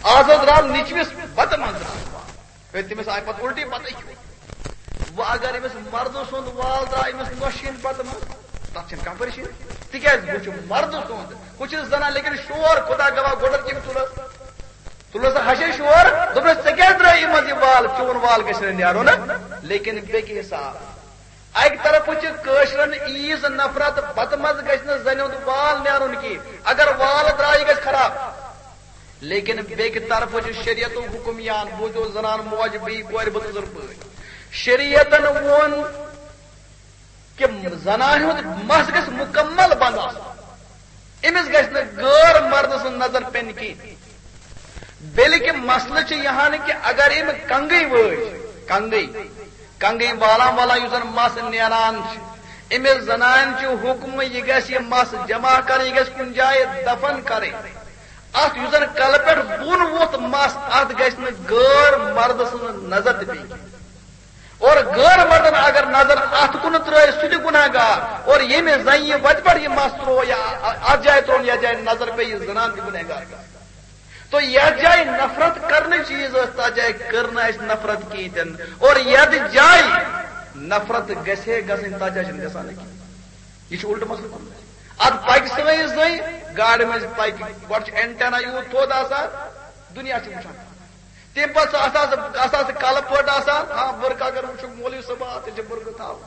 آز حظ درٛاو نیٚچوِس بَتہٕ منٛز درٛاو وال۔ ہے، تٔمِس آیہِ پَتہٕ اُلٹی، بَتَے کھیوٚو۔ وۄنۍ اگر أمِس مَردٕ سُنٛد وال درٛاو أمِس نوشٲیِن بَتہٕ منٛز، تَتھ چھَنہٕ کانٛہہ پریشٲنی۔ تِکیٛازِ ہُہ چھُ مَردٕ سُنٛد، ہُہ چھُ زَنان، لیکِن شور، خۄدا گواہ، گۄڈَن کٔمۍ تُلُس؟ تُلُس ہَشے شور، دوٚپنَس، "ژےٚ کیٛازِ درٛٲیی منٛز یہِ وال؟ چون وال گژھِ نہٕ نیرُن۔" لیکن بیٚکہِ حساب، اَکہِ طرفہٕ چھِ کٲشرٮ۪ن عیٖز نفرت، بَتہٕ منٛز گژھِ نہٕ زَنہِ ہُنٛد وال نیرُن کینٛہہ، اگر وال درٛاو، یہِ گژھِ خراب۔ لیکن بیٚکہِ طرفہٕ چھُ شریعتُک حُکم یِوان، بوٗزِو زنان موج، بیٚیہِ کورِ بُزرگ پٲٹھۍ۔ شریعتن ووٚن کہِ زنانہِ ہُنٛد مَس گژھِ مُکمل بنٛد آسُن، أمِس گژھِ نہٕ غٲر مردٕ سٕنٛز نظر پیٚنۍ کینٛہہ۔ بلکہِ مسلہٕ چھُ یہِ ہن کہِ اگر أمۍ کنگٔے وٲج، کنگٔے، کنگٔے والان والان یُس زن مَس نیران چھُ، أمِس زنانہِ چھُ حُکم، یہِ گژھِ یہِ مَس جمع کرٕنۍ، یہِ گژھِ کُنہِ جایہِ دفن کرٕنۍ۔ اتھ یُس زن کلہٕ پٮ۪ٹھ بۄن ووٚتھ مَس، اتھ گژھِ نہٕ غٲر مردٕ سٕنٛز نظر تہِ پیٚنۍ کینٛہہ۔ اور غٲر مردن اگر نظر اتھ کُن ترٲے، سُہ تہِ گناہ گار۔ اور ییٚمِس زنہِ یہِ وتہِ پٮ۪ٹھ یہِ مَس ترٛوو یا اتھ جایہِ ترٛوو، یتھ جایہِ نظر پیٚیہِ، یہِ زنان تہِ گناہ گار۔ تو یتھ جایہِ نفرت کرنٕچ چیٖز ٲس، تتھ جایہِ کٔر نہٕ اَسہِ نفرت کِہیٖنۍ تہِ نہٕ۔ اور یتھ جایہِ نفرت گژھِ ہے گژھٕنۍ، تتھ جایہِ چھنہٕ گژھان نہٕ کِہیٖنۍ۔ یہِ چھُ اُلٹہٕ مسلہٕ کوٚرمُت۔ اتھ پکہِ سٲنۍ زٔنۍ، گاڑِ منٛز پکہِ، گۄڈٕ چھُ اینٹینا یوٗت تھوٚد آسان، دُنیا چھُ وٕچھان۔ تَمہِ پتہٕ سُہ، اَتھ آسہٕ، اَتھ آسہٕ کلہٕ پٔٹ آسان، ہاں، بُرقہٕ اگر وٕچھُکھ مولوی صٲب، آ، تیٚلہِ چھِ بُرقہٕ تھاوُن۔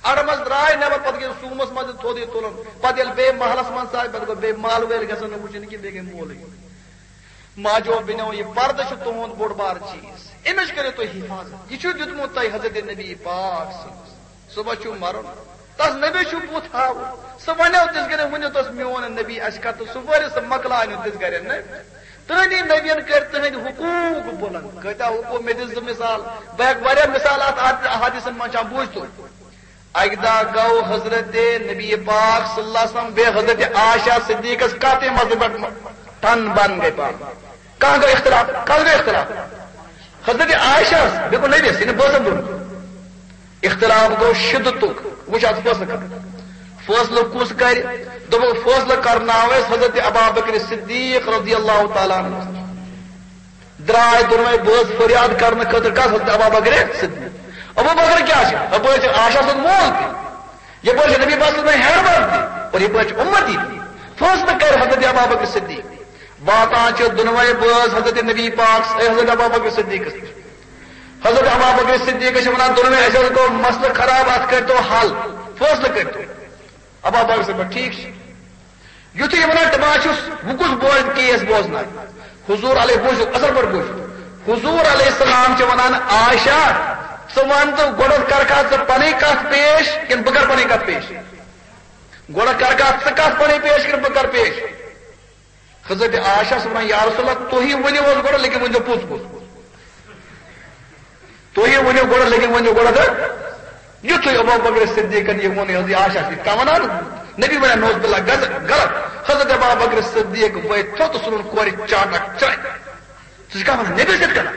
اَڑٕ منٛز درٛاے نٮ۪بر، پتہٕ گٔے زوٗمس منٛز تھوٚد یہِ تُلُن۔ پتہٕ ییٚلہِ بیٚیہِ محلس منٛز ژاے، پتہٕ گوٚو بیٚیہِ محلہٕ وٲلۍ گژھن نہٕ وٕچھِنۍ کہِ بیٚیہِ گٔے مولوی۔ ماجو بیٚنیو، یہِ پردٕ چھُ تُہُنٛد بوٚڑ بار چیٖز، اَمِچ کٔرِو تُہۍ حِفاظت۔ یہِ چھُ دیُتمُت تۄہہِ حضرت نبی پاک صٲبَس۔ صُبحس چھُ مَرُن، تَس نبی چھُ بُتھ ہاوُن۔ سُہ وَنیو تِژھ گرِ، ؤنِو تَس، "میون نبی اَسہِ کَتھ"، تہٕ سُہ وٲرِو سُہ مۄکلاونیو تِژھ گرِ، نہ؟ تُہٕنٛدی نبیَن کٔرۍ تُہٕنٛدۍ حقوٗق بُلنٛد۔ کۭتیٛاہ حقوٗق؟ مےٚ دِ زٕ مثال، بہٕ ہٮ۪کہٕ واریاہ مثال اَتھ، اَتھ حدیثن منٛز چھا، بوٗزتو۔ اَکہِ دۄہ گوٚو حضرت نبی پاک صلی اللہ علیہ وسلم بیٚیہِ حضرت عائشہ صدیقس کتھ مسلہٕ پٮ۪ٹھ ٹن بن گٔے پانہٕ۔ کانٛہہ گوٚو اختلاف، کتھ گوٚو اختلاف؟ حضرت عائشہ بیٚیہِ گوٚو نبیس، یعنی بٲژن دۄن۔ اختلاف گوٚو شدتُک۔ وۄنۍ چھُ اتھ فٲصلہٕ کرُن۔ فٲصلہٕ کُس کرِ؟ دوٚپُکھ فٲصلہٕ کرناو أسۍ حضرت ابابکر صدیق رضی اللہ تعالیٰ عنہ۔ درٛاے دۄنوَے بٲژ فریاد کرنہٕ خٲطرٕ کَس؟ حضرت ابابکر صدیق۔ ابوبکر کیٛاہ چھِ؟ اَپٲرۍ چھِ عائشہ سُنٛد مول تہِ، یَپٲرۍ چھِ نبی پاک صلی اللہ علیہ وسلم ہیربند تہِ، اور یَپٲرۍ چھِ اُمتی تہِ۔ فٲصلہٕ کرِ حضرت ابابکر صدیق۔ واتان چھِ دۄنوَے بٲژ حضرت نبی پاک، اے حضرت ابابکر صدیقس نِش۔ حضرت ابابکر صدیقس چھِ وَنان، "دۄنوَے، اَسہِ حظ گوٚو مسلہٕ خراب، اَتھ کٔرۍتو حل، فٲصلہٕ کٔرۍتو۔" ابابکر صدیق، "ٹھیٖک چھُ۔" یُتھُے یہِ وَنان، دَپان چھُس، "بہٕ کُس بوزٕ کیس بوزناو؟" حضور علیہ، بوٗزِو، اَصٕل پٲٹھۍ بوٗزِو۔ حضور علیہ السلام چھِ وَنان، "عائشہ، ژٕ وَن تہٕ گۄڈٕ کَرکھا ژٕ پَنٕنۍ کَتھ پیش کِنہٕ بہٕ کَرٕ پَنٕنۍ کَتھ پیش؟ گۄڈٕ کَرکھا ژٕ کَتھ پَنٕنۍ پیش کِنہٕ بہٕ کَرٕ پیش؟" حضرت عائشہ چھِ وَنان، "یا رسول اللہ، تُہی ؤنِو حظ گۄڈٕ، لیکن ؤنۍزیو پوٚز پوٚز۔" تُہۍ ؤنِو گۄڈٕ، لیکن ؤنِو گۄڈٕ تہٕ یُتھُے ابوبکر صدیقن یہِ ووٚن، یہِ حضرت عائشہ چھِ یِتھ کٔنۍ وَنان، نبی وَنان، "نعوذ باللہ، غز-، غلط۔" حضرت ابوبکر صدیق وٲتۍ تھوٚد تہٕ سُہ روٚن کورِ چاٹک چانہِ۔ ژٕ چھُکھ کیٛاہ وَنان؟ نبی چھِ یِتھ کٔنۍ۔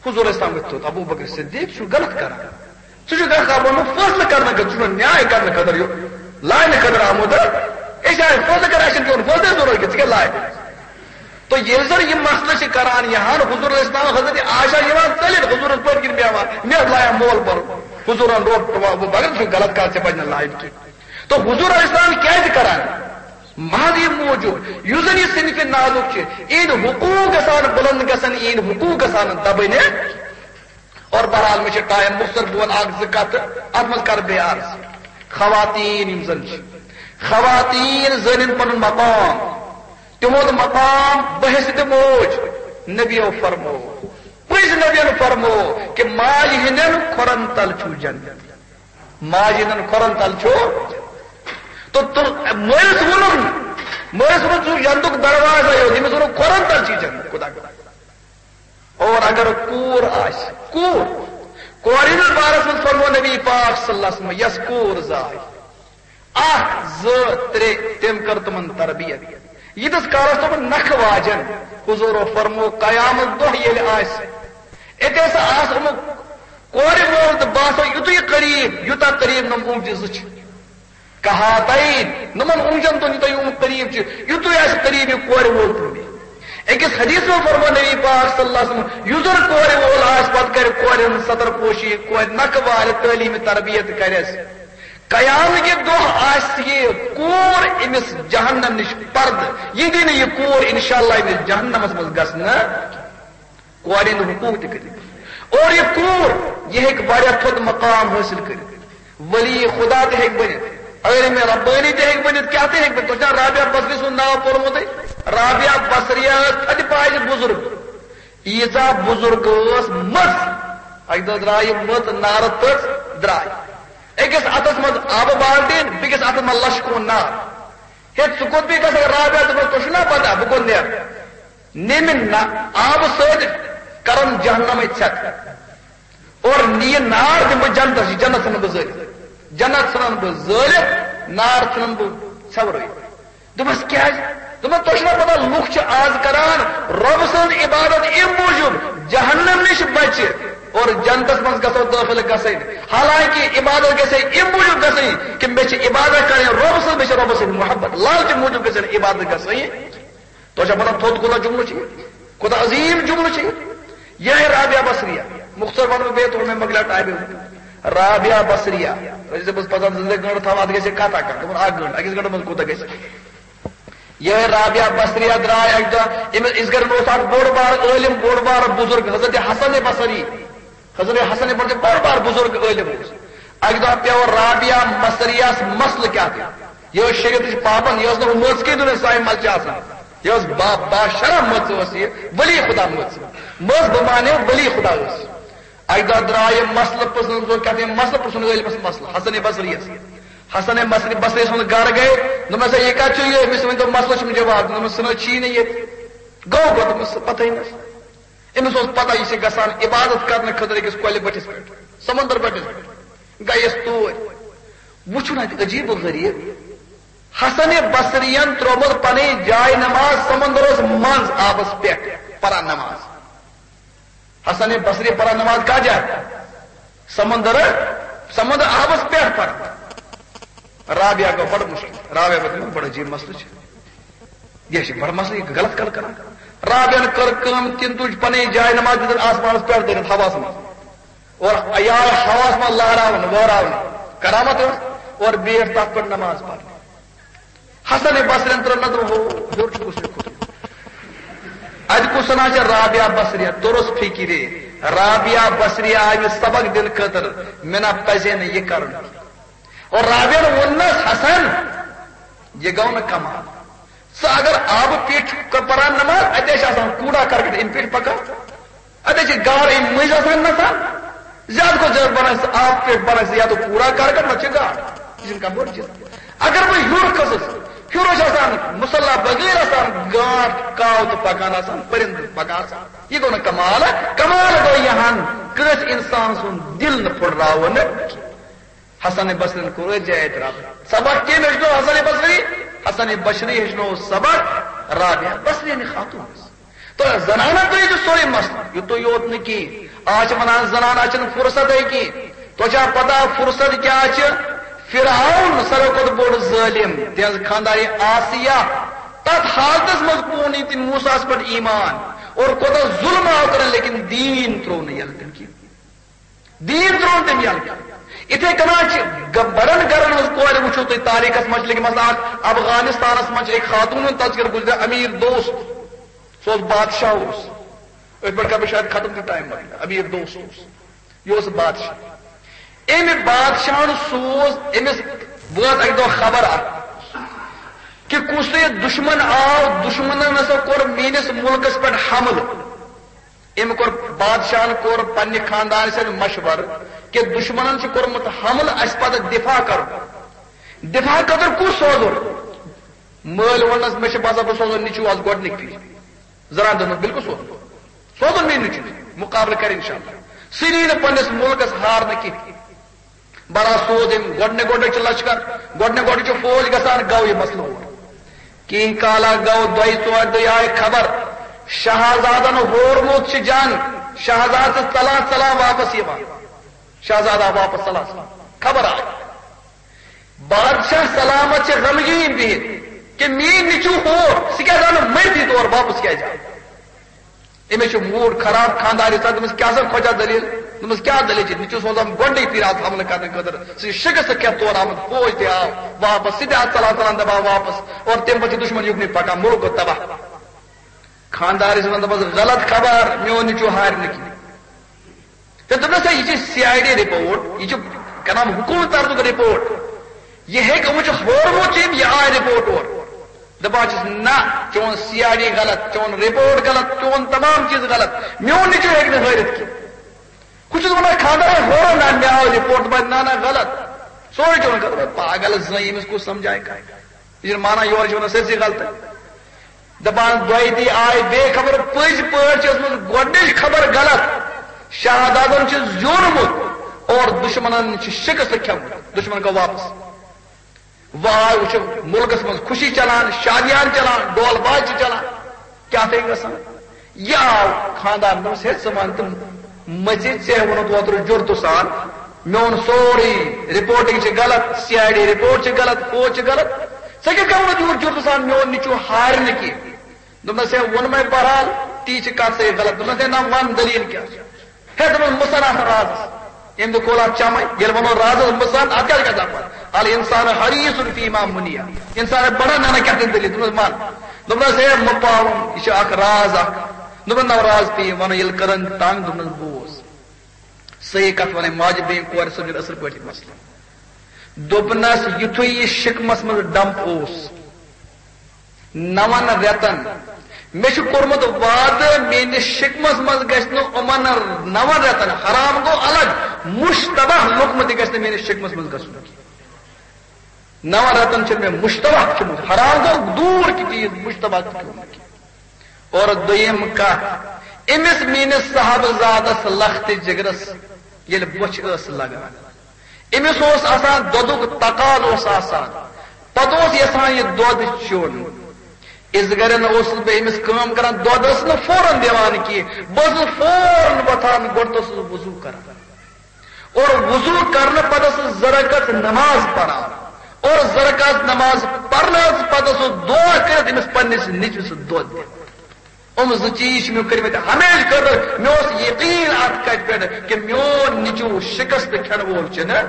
حضور اسلام وٲتۍ تھوٚد، ابوبکر صدیق چھُ غلط کران۔ ژٕ چھُکھ اکھ آمُت فٲصلہٕ کرنہٕ خٲطرٕ، ژٕ چھُکھ نیاے کرنہٕ خٲطرٕ یہِ لاینہٕ خٲطرٕ آمُت۔ أسۍ آے فٲصلہٕ کران، اَسہِ چھُنہٕ چون فٲصلہٕ ضروٗرت کینٛہہ، ژٕ کیٛاہ لاے؟ تو ییٚلہِ زن یہِ مسلہٕ چھِ کران، یہِ ہن حضور علیہ السلام حضرت عائشہ یِوان ژٔلِتھ حضورس پٔتۍ کِنۍ بیٚہوان، مےٚ لایان مول پرُن۔ حضورن روٚٹ، مگر ژٕ چھُکھ غلط کتھ، ژےٚ پزِ نہٕ لایِنۍ کینٛہہ۔ تو حضور علیہ السلام کیازِ کران؟ محض یہِ موٗجوٗب، یُس زن یہِ صنفِ نازُک چھِ، یِہِنٛدۍ حقوٗق گژھان بُلند گژھن، یِہِنٛدۍ حقوٗق گژھن دبٕنۍ۔ اور بہرحال، مےٚ چھِ ٹایم مختصر، بہٕ وَنہٕ اکھ زٕ کتھٕ، اتھ منٛز کرٕ بیٚیہِ عرض۔ خواتین یِم زن چھِ، خواتین زٲنِن پنُن مقام، تِہُنٛد مقام بحیثیت موج۔ نبیو فرمو، پٔزۍ نبین فرمو کہِ ماجہِ ہٕنٛدٮ۪ن کھۄرن تل چھُ جنت۔ ماجہِ ہٕنٛدٮ۪ن کھۄرن تل چھُ۔ تہٕ، تہٕ مٲلِس ووٚنُن، مٲلِس ووٚنُن، "ژٕ چھُکھ جنتُک دروازے یوت"، ییٚمِس ووٚنُن، "کھۄرن تل چھِ جنت"۔ خدا۔ اور اگر کوٗر آسہِ، کوٗر، کورِ ہٕنٛدِس بارس منٛز فرمو نبی پاک صلی اللہ علیہ وسلم، یۄس کوٗر زاے، اکھ، زٕ، ترٛےٚ، تٔمۍ کٔر تِمن تربیت۔ ییٖتِس کالس تِمن نکھٕ واجن، حضوٗرو فرمو، قیامت دۄہ ییٚلہِ آسہِ، اتے سا آسہٕ یِمو کورِ مول تہٕ بہٕ آسو یُتُے قریب، یوٗتاہ قریب نۄم اوٗنجہِ زٕ چھِ۔ کہاتین، نمن اونجن دۄن یوٗتاہ یِم قریب چھِ، یُتُے آسہِ قریب یہِ کورِ وول تہِ۔ أکِس حدیث منٛز فرموو نبی پاک صلی اللہ علیہ وسلم، یُس زن کورِ وول آسہِ، پتہٕ کرِ کورِ ہٕنٛز ستر پوشی، کورِ نکھٕ والہِ تعلیٖم تربیت کرٮ۪س۔ قیامت کہِ دۄہ آسہِ یہِ کوٗر أمِس جہنم نِش پردٕ، یہِ دِنہٕ یہِ کوٗر انشاءاللہ أمِس جہنمس منٛز گژھنہٕ۔ کورِ ہٕنٛدۍ حقوٗق تہِ کٔرِتھ۔ اور یہِ کوٗر، یہِ ہیٚکہِ واریاہ تھوٚد مقام حٲصِل کٔرِتھ۔ ولی خدا تہِ ہیٚکہِ بٔنِتھ، عٲلمِ ربٲنی تہِ ہیٚکہِ بٔنِتھ، کیٛاہ تہِ ہیٚکہِ بٔنِتھ۔ تۄہہِ چھا رابعہ بصری سُنٛد ناو پوٚرمُتٕے؟ رابعہ بصریہ ٲس تھدِ پایہِ بُزرگ، ییٖژاہ بُزرگ ٲس مٔژ۔ اَکہِ دۄہ درٛاے یہِ مٔژ، نارٕ تٔژ درٛاے۔ أکِس اَتھس منٛز آبہٕ بالٹیٖن، بیٚکِس اَتھس منٛز لَشہِ کوٗن نار۔ ہے، ژٕ کوٚت بیٚیہِ گژھکھ رابعہ؟ دوٚپمَس، تۄہہِ چھُو نا پتہ بہٕ کوٚت نیرٕ؟ نیمہِ نہ آبہٕ سۭتۍ کرن جہنمٕچ ژھٮ۪تھ۔ اور نِیہِ نار دِمہٕ بہٕ جنتس، یہِ جنت ژھٕنن بہٕ زٲلِتھ۔ جنت ژھٕنن بہٕ زٲلِتھ، نار ژھٕنن بہٕ ژھٮ۪ورٲوِتھ۔ دوٚپمس، کیٛازِ؟ دوٚپمس، تۄہہِ چھُو نا پتہ، لُکھ چھِ آز کران رۄب سٕنٛز عبادت اَمہِ موٗجوٗب جہنم نِش بچہِ اور جنتس منٛز گژھو دٲخل گژھٕنۍ۔ حالانکہ عبادت گژھِ اَمہِ موٗجوٗب گژھٕنۍ کہ مےٚ چھِ عبادت کرٕنۍ رۄب سٕنٛز، مےٚ چھِ رۄبہٕ سٕنٛدِ محبت، لالچہِ موٗجوٗب گژھِ عبادت گژھٕنۍ۔ تۄہہِ چھا پتہ تھوٚد کوٗتاہ جملہٕ چھُ یہِ؟ کوٗتاہ عظیٖم جملہٕ چھُ یہِ؟ یِہوٚے رابعہ بصریہ۔ مُختصر وَنہٕ بہٕ بیٚیہِ، تھوڑا مےٚ مۄکلیو ٹایمٕے۔ رابعہ بصریہ۔ رٔٹۍ زِ بہٕ پَزَن زٕ زٕ گٲنٛٹہٕ تھاوان، اَتھ گژھِ کَتھا کَتھ۔ دوٚپُن، اَکھ گٲنٛٹہٕ، أکِس گٲنٛٹَس منٛز کوٗتاہ گژھِ؟ یِہوٚے رابعہ بصریہ درٛاے اَکہِ دۄہ، أمِس، أسۍ گَرِ اوس اَکھ بوٚڑ بار عٲلِم، بوٚڑ بار بُزرگ حضرت حسن بصری۔ حضرت حسن بصری بوٚڑ بار بُزرگ عٲلِم اوس۔ اَکہِ دۄہ پیوٚو رابعہ بصریَس مسلہٕ کیٛاہ تہِ۔ یہِ ٲس شریعتٕچ پابند، یہِ ٲس نہٕ ہُہ مٔژ کینٛہہ، دُنیا سانہِ مَلچہِ آسان۔ یہِ ٲس با-، باشرح مٔژ ٲس یہِ، ولی خدا مٔژ۔ مٔژ بہٕ مانے ولی خدا ٲس۔ اَکہِ دۄہ درٛاو یہِ مسلہٕ پرٛژھنہٕ، دوٚپُن، کیٛاہ تام مسلہٕ پرٛژھُن عٲلمَس مسلہٕ، حسن بصریَس۔ حسن بصری، بصری سُنٛد گرٕ گٔے، دوٚپمَس، ہے، یہِ کَتہِ چھُ یہِ؟ أمِس ؤنۍ تو مسلہٕ چھُم جواب۔ دوٚپمَس، سُہ نہ چھِی نہٕ ییٚتہِ۔ گوٚو کوٚت؟ دوٚپمَس، سُہ پَتہٕے نہٕ۔ أمِس اوس پَتہ یہِ چھِ گژھان عبادت کرنہٕ خٲطرٕ أکِس کۄلہِ بٔٹھِس پٮ۪ٹھ، سمندر بٔٹھِس پٮ۪ٹھ۔ گٔیَس توٗرۍ۔ وٕچھُن اَتہِ عجیٖب و غریٖب۔ حسن بصریَن ترٛوومُت پَنٕنۍ جاے نماز سمندرَس منٛز آبَس پٮ۪ٹھ پَران نماز۔ حسن بصری پَران نماز کَتھ جایہِ؟ سمندر، سمندر آبَس پٮ۪ٹھ پَران۔ رابعہ گوٚو بڑٕ مُشکِل۔ رابعہ گوٚو تِمن بڑٕ عجیٖب مسلہٕ چھِ۔ یہِ چھِ بڑٕ مسلہٕ، یہِ غلط کَتھ کران۔ رابعن کٔر کٲم، تِم تُج پنٕنۍ جاے نماز دِتُن آسمانس پٮ۪ٹھ دٔرِتھ ہوہَس منٛز۔ اور یہِ آے ہوہَس منٛز لہراونہٕ، وہراونہٕ۔ کرامت ٲس۔ اور بیٖٹھ تَتھ پٮ۪ٹھ نماز پرنہِ۔ حسن بصریَن ترٛٲو نظر، ہو، ہیوٚر چھُ کُس مےٚ کھوٚتمُت۔ اَتہِ کُس ہنا چھِ رابعہ بصریہ؟ توٚرُس فِکرِ۔ رابعہ بصریہ آیہِ مےٚ سبق دِنہٕ خٲطرٕ، مےٚ نہ پَزِ ہے نہٕ یہِ کرُن۔ اور رابعن ووٚننَس، حسن، یہِ گوٚو نہٕ کمال۔ ژٕ اگر آبہٕ پیٚٹھۍ ک-، پران نماز، اَتہِ چھِ آسان کوڑا کرکٹ اَمہِ پیٚٹھۍ پکان، اَتہِ چھِ گار اَمہِ مٔنٛزۍ آسان نژان۔ زیادٕ کھۄتہٕ زیادٕ بناوِ ژٕ آبہٕ پیٚٹھۍ، بناوِ ژٕ یا تہٕ کوڑا کرکٹ، نتہٕ چھِ گار۔ یہِ چھُنہٕ کانٛہہ بوٚڑ چیٖز۔ اگر بہٕ ہیوٚر کھسُس، ہیوٚر چھِ آسان مُصلیٰ بغٲر آسان گانٛٹھ کاو تہٕ پکان آسان، پٔرِنٛدٕ پکان آسان۔ یہِ گوٚو نہٕ کمال۔ کمال گوٚو یہِ ہن کٲنٛسہِ اِنسان سُنٛد دِل نہٕ پھُٹراوُن۔ حسن بصریَن کوٚر أتھۍ جایہِ اعتراف۔ سبق کٔمۍ ہیٚچھنو حسن بصری؟ حسن بصری ہیٚچھنو سبق رابعہ بصریَنہِ خاتوٗنَس۔ تہٕ زنانن تہِ چھُ سورُے مسلہٕ، یُتُے یوت نہٕ کِہیٖنۍ۔ آز چھِ وَنان زنان، آز چھَنہٕ فرصتٕے کِہیٖنۍ۔ تۄہہِ چھا پتہ فرصت کیٛاہ چھِ؟ فرعون ساروی کھۄتہٕ بوٚڑ ظٲلِم، تِہنٛز خانٛدارِ آسیہ، تَتھ حالتس منٛز کُن یہِ تٔمۍ موسیٰ ہَس پٮ۪ٹھ ایمان، اور کوٗتاہ ظُلم آو کران، لیکن دیٖن ترٛوو نہٕ یَلہٕ تٔمۍ کِہیٖنۍ۔ دیٖن ترٛوو تٔمۍ یَلہٕ۔ یِتھَے کٔنۍ چھِ گ-، بَڑٮ۪ن گَرَن ہٕنٛز کورِ وٕچھِو تُہۍ تاریٖخَس منٛز چھِ لیکھِتھ، مثلاً اَکھ افغانستانَس منٛز چھِ أکۍ خاتوٗن ہُنٛد تذکرٕ گُزریو، امیر دوست، سُہ اوس بادشاہ اوس۔ أتھۍ پٮ۪ٹھ کَرٕ بہٕ شاید ختم تہِ ٹایم مۄکلہِ۔ امیر دوست اوس، یہِ اوس بادشاہ۔ أمۍ بادشاہَن سوٗز أمِس، وٲژ اَکہِ دۄہ خبر اَکھ کہِ کُس تام دُشمَن آو، دُشمَنَن ہسا کوٚر میٛٲنِس مُلکَس پٮ۪ٹھ حملہٕ۔ أمۍ کوٚر، بادشاہن کوٚر پننہِ خاندان سۭتۍ مشورٕ کہِ دُشمنن چھُ کوٚرمُت حملہٕ، اَسہِ پتہٕ دفاع کرُن۔ دفاع خٲطرٕ کُس سوزُن؟ مٲلۍ ووٚننس، مےٚ چھُ باسان بہٕ سوزُن نیٚچوٗ آز گۄڈٕنِکۍ پھِرِ۔ زنانہِ دوٚپنس، بِلکُل سوزُن، سوزُن میٛٲنۍ نیٚچوٗ، مُقابلہٕ کرِ انشاءاللہ۔ سُہ نی نہٕ پننِس مُلکس ہارنہٕ کینٛہہ۔ بڑا سوز أمۍ گۄڈٕنہِ گۄڈٕنہِ چھُ لشکر، گۄڈٕنہِ گۄڈٕنہِ چھُ فوج گژھان، گوٚو یہِ مسلہٕ اور۔ کینٛہہ کالا گوٚو، دۄیہِ ژورِ دۄہہِ آیہِ خبر، شہزادن ہورمُت چھُ جنگ، شہزادٕ چھُ ژلان ژلان واپس یِوان، شہزادٕ آو واپس ژلان ژلان، خبر آیہِ۔ بادشاہ سلامت چھِ غمگیٖن بِہِتھ کہِ میٛٲنۍ نیٚچوٗ ہور، سُہ کیٛازِ آو نہٕ مٔرتھٕے تور واپس کیٛازِ آو؟ أمِس چھُ موٗڈ خراب، خانٛدارِ سا دوٚپمَس، "کیٛاہ سا کھۄژان دٔلیٖل؟" دوٚپمَس، "کیٛاہ دٔلیٖل چھِ؟ نیٚچوٗ سوزان گۄڈٕنٕے پھِرِ آز حملہٕ کرنہٕ خٲطرٕ، سُہ چھُ شِکست کھٮ۪تھ تورٕ آمُت، فوج تہِ آو واپس، سُہ تہِ آو ژلان ژلان دَپان واپس، اور تَمہِ پتہٕ چھُ دُشمن یُکنُے پکان، مُلک گوٚو تباہ۔" خانٛدارِ چھِ وَنان، دَپان، "غلط خبر، میون نیٚچوٗ ہارِ نہٕ کینٛہہ۔" تہٕ دوٚپنَس، "ہے، یہِ چھِ سی آی ڈی رپورٹ، یہِ چھِ کران حکوٗمت طرفُک رپورٹ، یہِ ہیٚکہِ، یِمو چھُ ہورمُت ییٚمۍ، یہِ آے رپورٹ اورٕ۔" دَپان چھِس، "نہ، چون سی آی ڈی غلط، چون رپورٹ غلط، چون تمام چیٖز غلط، میون نیٚچوٗ ہیٚکہِ نہٕ ہٲرِتھ کینٛہہ۔" ہُہ چھُس وَنان، "خانٛدار ہے ہورو نہ، مےٚ آو رپورٹ۔" دَپان، "نہ، نہ، غلط، سورُے چھُ وَنان غلط۔" دَپان، پاگل زٔنۍ، أمِس کُس سمجھایہِ کانٛہہ؟ یہِ چھُنہٕ مانان، یورٕ چھِ وَنان سٲرسٕے غلطٕے۔ دَپان، دۄیہِ دِی آے بیٚیہِ خبر، پٔزۍ پٲٹھۍ چھِ ٲسمٕژ گۄڈٕنِچ خبر غلط۔ شاہزادن چھُ زیوٗنمُت اور دُشمنن چھُ شِکست کھیوٚمُت۔ دُشمن گوٚو واپس۔ وۄنۍ آے، وٕچھو، مُلکس منٛز خوشی چلان، شادیان چلان، ڈول باج چھِ چلان۔ کیٛاہ تھے گژھان؟ یہِ آو خانٛدار، دوٚپمَس، "ہے، ژٕ وَن تہٕ مٔژِ، ژےٚ ووٚنُتھ اوترٕ جُرتہٕ سان، میون سورُے رپورٹنگ چھِ غلط، سی آی ڈی رپورٹ چھِ غلط، فوج چھِ غلط، ژےٚ کیٛاہ کَرُن یوٗت جُرتہٕ سان، میون نیٚچوٗ ہارِ نہٕ کینٛہہ؟" دوٚپنَس، "ہے، ووٚنمَے بہرحال، تی چھِ کَتھ صحیح غلط۔" دوٚپنَس، "ہے، نہ، وَن دٔلیٖل کیٛاہ چھِ؟" ہے، دوٚپُن، "مُژَن اَتھ رازَس۔" أمۍ دیُت کھولا چَمَے۔ ییٚلہِ وَنو رازَس مُژَن، اَتھ کیٛاہ چھِ گژھان پَتہٕ؟ الانسان حریص فیما منع۔ اِنسان ہے بَڑان، نہ، نہ، کیٛاہ تہِ دٔلیٖل؟ دوٚپنَس، "وَن۔" دوٚپنَس، "ہے، مہٕ پاوُن، یہِ چھِ اَکھ راز اَکھ۔" دوٚپُن، "نہ، راز پیٚیہِ وَنُن، ییٚلہِ کٔرٕن تنٛگ۔" دوٚپنَس، "بوز، صحیح کَتھ وَنَے، ماجہِ بیٚنہِ کورِ سَمجھُن اَصٕل پٲٹھۍ یہِ مسلہٕ۔" دوٚپنَس، یُتھُے یہِ شِکمَس منٛز ڈمپ اوس، نَوَن رٮ۪تَن، مےٚ چھُ کوٚرمُت وعدٕ، میٛٲنِس شِکمَس منٛز گژھِ نہٕ یِمَن نَوَن رٮ۪تَن، حرام گوٚو الگ، مُشتبہ لوٚگمُت تہِ گژھِ نہٕ میٛٲنِس شِکمَس منٛز گژھُن۔ نَوَن رٮ۪تَن چھُنہٕ مےٚ مُشتبہ کھیوٚمُت، حرام گوٚو دوٗر کہِ چیٖز، مُشتبہ تہِ کھیوٚمُت کینٛہہ۔ اور دوٚیِم کَتھ، أمِس میٛٲنِس صاحبزادَس لَختِ جِگرَس ییٚلہِ بۄچھِ ٲس لَگان، أمِس اوس آسان دۄدُک تقاضہٕ اوس آسان، پَتہٕ اوس یَژھان یہِ دۄد چیوٚن۔ اِس گرٮ۪ن اوسُس بہٕ أمِس کٲم کران، دۄد ٲس نہٕ فوراً دِوان کینٛہہ، بہٕ ٲسٕس فوراً وۄتھان، گۄڈٕ اوسُس وضوٗ کران۔ اور وضوٗ کرنہٕ پتہٕ ٲسٕس زٕ رکعت نماز پران۔ اور زٕ رکعت نماز پرنہٕ پتہٕ اوسُس دعا کٔرِتھ أمِس پننِس نیٚچوِس دۄد دِوان۔ یِم زٕ چیٖز چھِ مےٚ کٔرمٕتۍ ہمیشہٕ خٲطرٕ۔ مےٚ اوس یقیٖن اَتھ کَتھِ پٮ۪ٹھ کہِ میون نیٚچوٗ شِکست کھٮ۪ن وول چھُنہٕ۔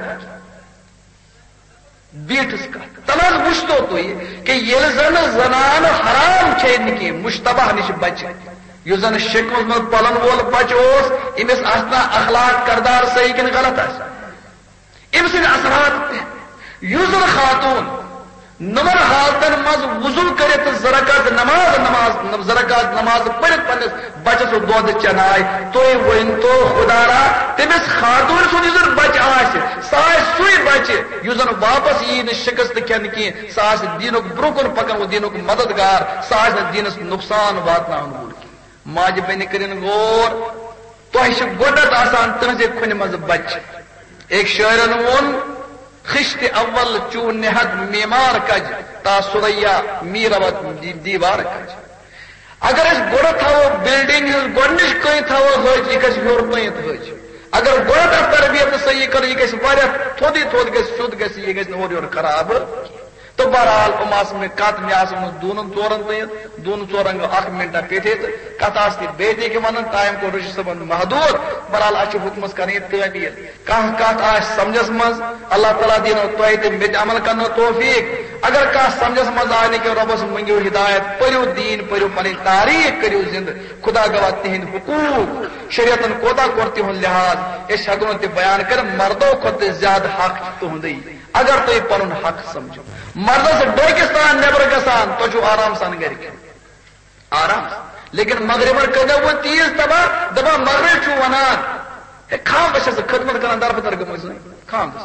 بیٖٹھٕس کَتھ۔ تَلہٕ حظ وٕچھتو تُہۍ کہِ ییٚلہِ زَن زَنانہٕ حرام کھیٚیہِ نہٕ کینٛہہ، مُشتبہ نِش بَچہِ، یُس زَن شِکمَس منٛز پَلَن وول بَچہٕ اوس، أمِس آسہِ نا اخلاق کردار صحیح کِنہٕ غلط آسہِ؟ أمۍ سٕنٛدۍ اثرات پٮ۪ن۔ یُس زَن خاتوٗن نمن حالتن منٛز وضو کٔرِتھ تہٕ زٕ رکعت نماز، نماز، زٕ رکعت نماز پٔرِتھ پننِس بچس دۄد چناے۔ تُہۍ ؤنۍ تو خدا را، تٔمِس خاتوٗن سُنٛد یُس زن بچہٕ آسہِ، سُہ آسہِ سُے بچہٕ یُس زن واپس یی نہٕ شکست کھٮ۪نہٕ کینٛہہ، سُہ آسہِ دیٖنُک برٛونٛہہ کُن پکن وول دیٖنُک مددگار، سُہ آسہِ نہٕ دیٖنس نۄقصان واتناون وول کینٛہہ۔ ماجہِ بیٚنہِ کٔرِن غور، تۄہہِ چھِ گۄڈنٮ۪تھ آسان تٕہٕنٛزِ کھۄنہِ منٛز بچہِ۔ أکۍ شٲعرن ووٚن، "خشت اول چون نہد معمار کج، تا ثریا می رود دی-، دیوار کج۔" اگر أسۍ گۄڈٕ تھاوو بلڈنگ ہٕنٛز گۄڈنِچ کٔنۍ تھاوو ہٕج، یہِ گژھِ ہیوٚر تانٮ۪تھ ہٕج۔ اگر گۄڈٕ تَتھ تربیت صحیح کرو، یہِ گژھِ واریاہ تھوٚدٕے تھوٚد گژھِ، سیوٚد گژھِ، یہِ گژھِ نہٕ اورٕ یورٕ خراب۔ تہٕ بہرحال، یِم آسہٕ مےٚ کتھ، مےٚ آسہٕ یِمن دوٗنن ژورن تانٮ۪تھ، دوٗنہٕ ژورن گوٚو اکھ منٹا پیٚٹھے تہٕ کتھ آسہٕ تہِ بیٚیہِ تہِ ییٚکیٛاہ ونان، ٹایم کوٚر رشید صٲبن محدود۔ بہرحال، اسہِ چھِ حُکمس کرٕنۍ یہِ تعمیٖل۔ کانٛہہ کتھ آسہِ سمجھس منٛز، اللہ تعالیٰ دِنو تۄہہِ تہِ مےٚ تہِ عمل کرنہٕ توفیق۔ اگر کانٛہہ سمجھس منٛز آے نہٕ کینٛہہ، رۄبس مٔنگِو ہدایت، پٔرِو دیٖن، پٔرِو پنٕنۍ تاریخ، کٔرِو زندٕ۔ خدا گواہ، تِہنٛدۍ حقوٗق، شریعتن کوتاہ کوٚر تِہُنٛد لحاظ، أسۍ ہٮ۪کو نہٕ تہِ بیان کٔرِتھ، مردو کھۄتہٕ تہِ زیادٕ حق چھُ تُہُنٛدُے۔ اگر تُہۍ پنُن حق سمجھو، مردس ڈوکِس تان نٮ۪بر گژھان، تۄہہِ چھُو آرام سان گرِ کھیوٚن۔ آرام سان۔ لیکن مغربن کٔرۍ وۄنۍ تیٖژ تباہ، دپان مغرب چھُ ونان، ہے، خامدس چھس خدمت کران، دربدر گٔمٕژ زٔنۍ۔ خامدس۔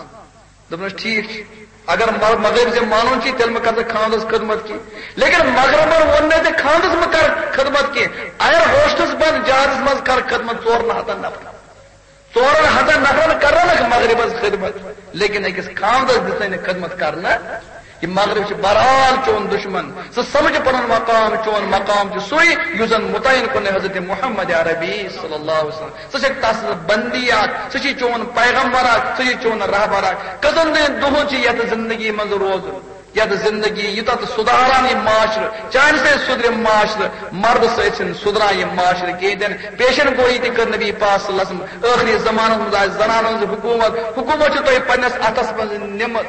دوٚپنس، "ٹھیٖک چھُ، اگر مغ-، مغرب زِ مانُن چھُ، تیٚلہِ مہ کر ژٕ خامدس خدمت کینٛہہ۔" لیکن مغربن ووٚن نہٕ تہِ خامدس مہ کر خدمت کینٛہہ۔ ایر ہوسٹس بند جہازس منٛز کر خدمت ژورن ہتن نفرن۔ ژورن ہتن نفرن کرنکھ مغربس خدمت، لیکن أکِس خامدس دِژ نہٕ خدمت کرنہٕ۔ یہِ مغرب چھُ بہرحال چون دشمن۔ ژٕ سمجھ پنُن مقام، چون مقام چھُ سُے یُس زن متعین کوٚرنَے حضرت محمد عربی صلی اللہ علیہ وسلم۔ ژٕ چھکھ تس بندی اکھ، سُہ چھُے چون پیغمبر اکھ، سُہ چھُے چون رہبر اکھ۔ کٔژن دۄہن چھُ یتھ زندگی منٛز روزُن، یتھ زندگی یوٗتاہ تہٕ سُدھاران یہِ معاشرٕ، چانہِ سۭتۍ سُدھرِ معاشرٕ، مردٕ سۭتۍ چھُنہٕ سُدھران یہِ معاشرٕ کِہیٖنۍ تہِ نہٕ۔ پیشن گویی تہِ کٔر نبی پاک صلی اللہ علیہ وسلم۔ ٲخری زمانس منٛز آسہِ زنانن ہٕنٛز حکومت، حکومت چھِ تۄہہِ پننِس اتھس منٛز نِمٕژ۔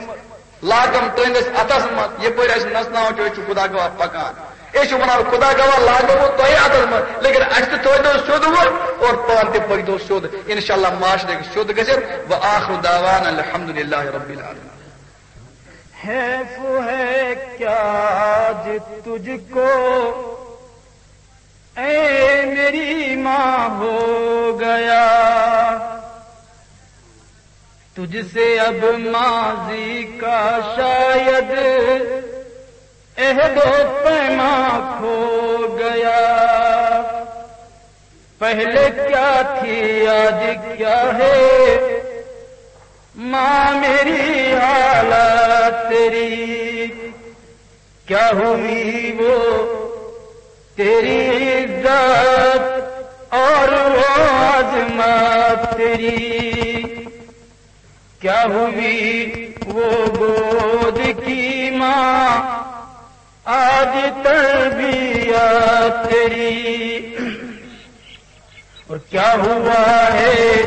لاگم تُہندِس اتھس منٛز، یپٲرۍ اسہِ نژناوان چھُ، أسۍ چھِ خدا گواہ پکان۔ أسۍ چھِ ونان، خدا گواہ لاگو تۄہہِ اتھس منٛز، لیکن اسہِ تہِ تھٲوۍتو سیوٚد وۄنۍ اور پانہٕ تہِ پٔکۍتو سیوٚد۔ انشاءاللہ معاشرٕ ہیٚکہِ سیوٚد گٔژھِتھ۔ وآخر دعوانا الحمدللہ رب العالمین۔ حیف ہے کیا آج تجھ کو اے میری ماں ہو گیا، تجھ سے اب ماضی کا شاید عہد و پیما کھو گیا۔ پہلے کیا تھی آج کیا ہے، ماں میری حالت تیری، کیا ہوئی وہ تیری عزت اور وہ عظمت تیری، کیا ہوئی وہ گود کی ماں، آج تربیت تیری، اور کیا ہوا ہے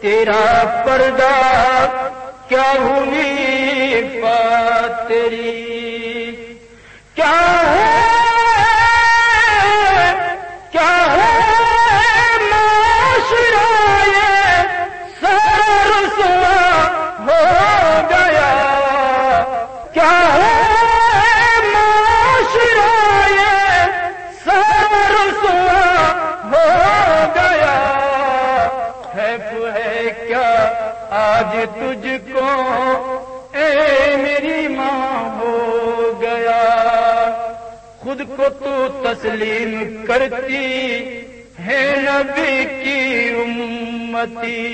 تیرا پردہ، کیا ہوئی عفت تیری، کیا ہے، کیا ہے معاشرہ یہ سارا رسوا ہو گیا، کیا ہے معاشرہ یہ سارا رسوا ہو گیا۔ حیف ہے کیا آج تجھ کو اے میری ماں ہو گیا۔ خود کو تو تسلیم کرتی ہے نبی کی امتی،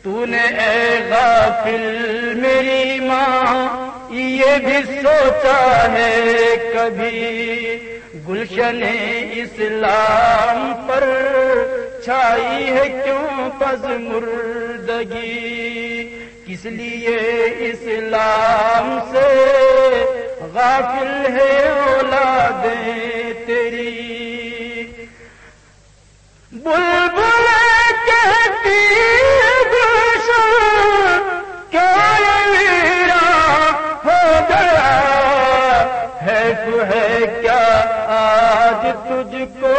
تو نے اے غافل میری ماں یہ بھی سوچا ہے کبھی، گلشن اسلام پر چھائی ہے کیوں پزمردگی، کس لیے اسلام سے غافل ہے اولادیں تیری۔ بلبل کہتی ہے گلشن کیا یہ ویران ہو گیا، حیف ہے کیا آج تجھ کو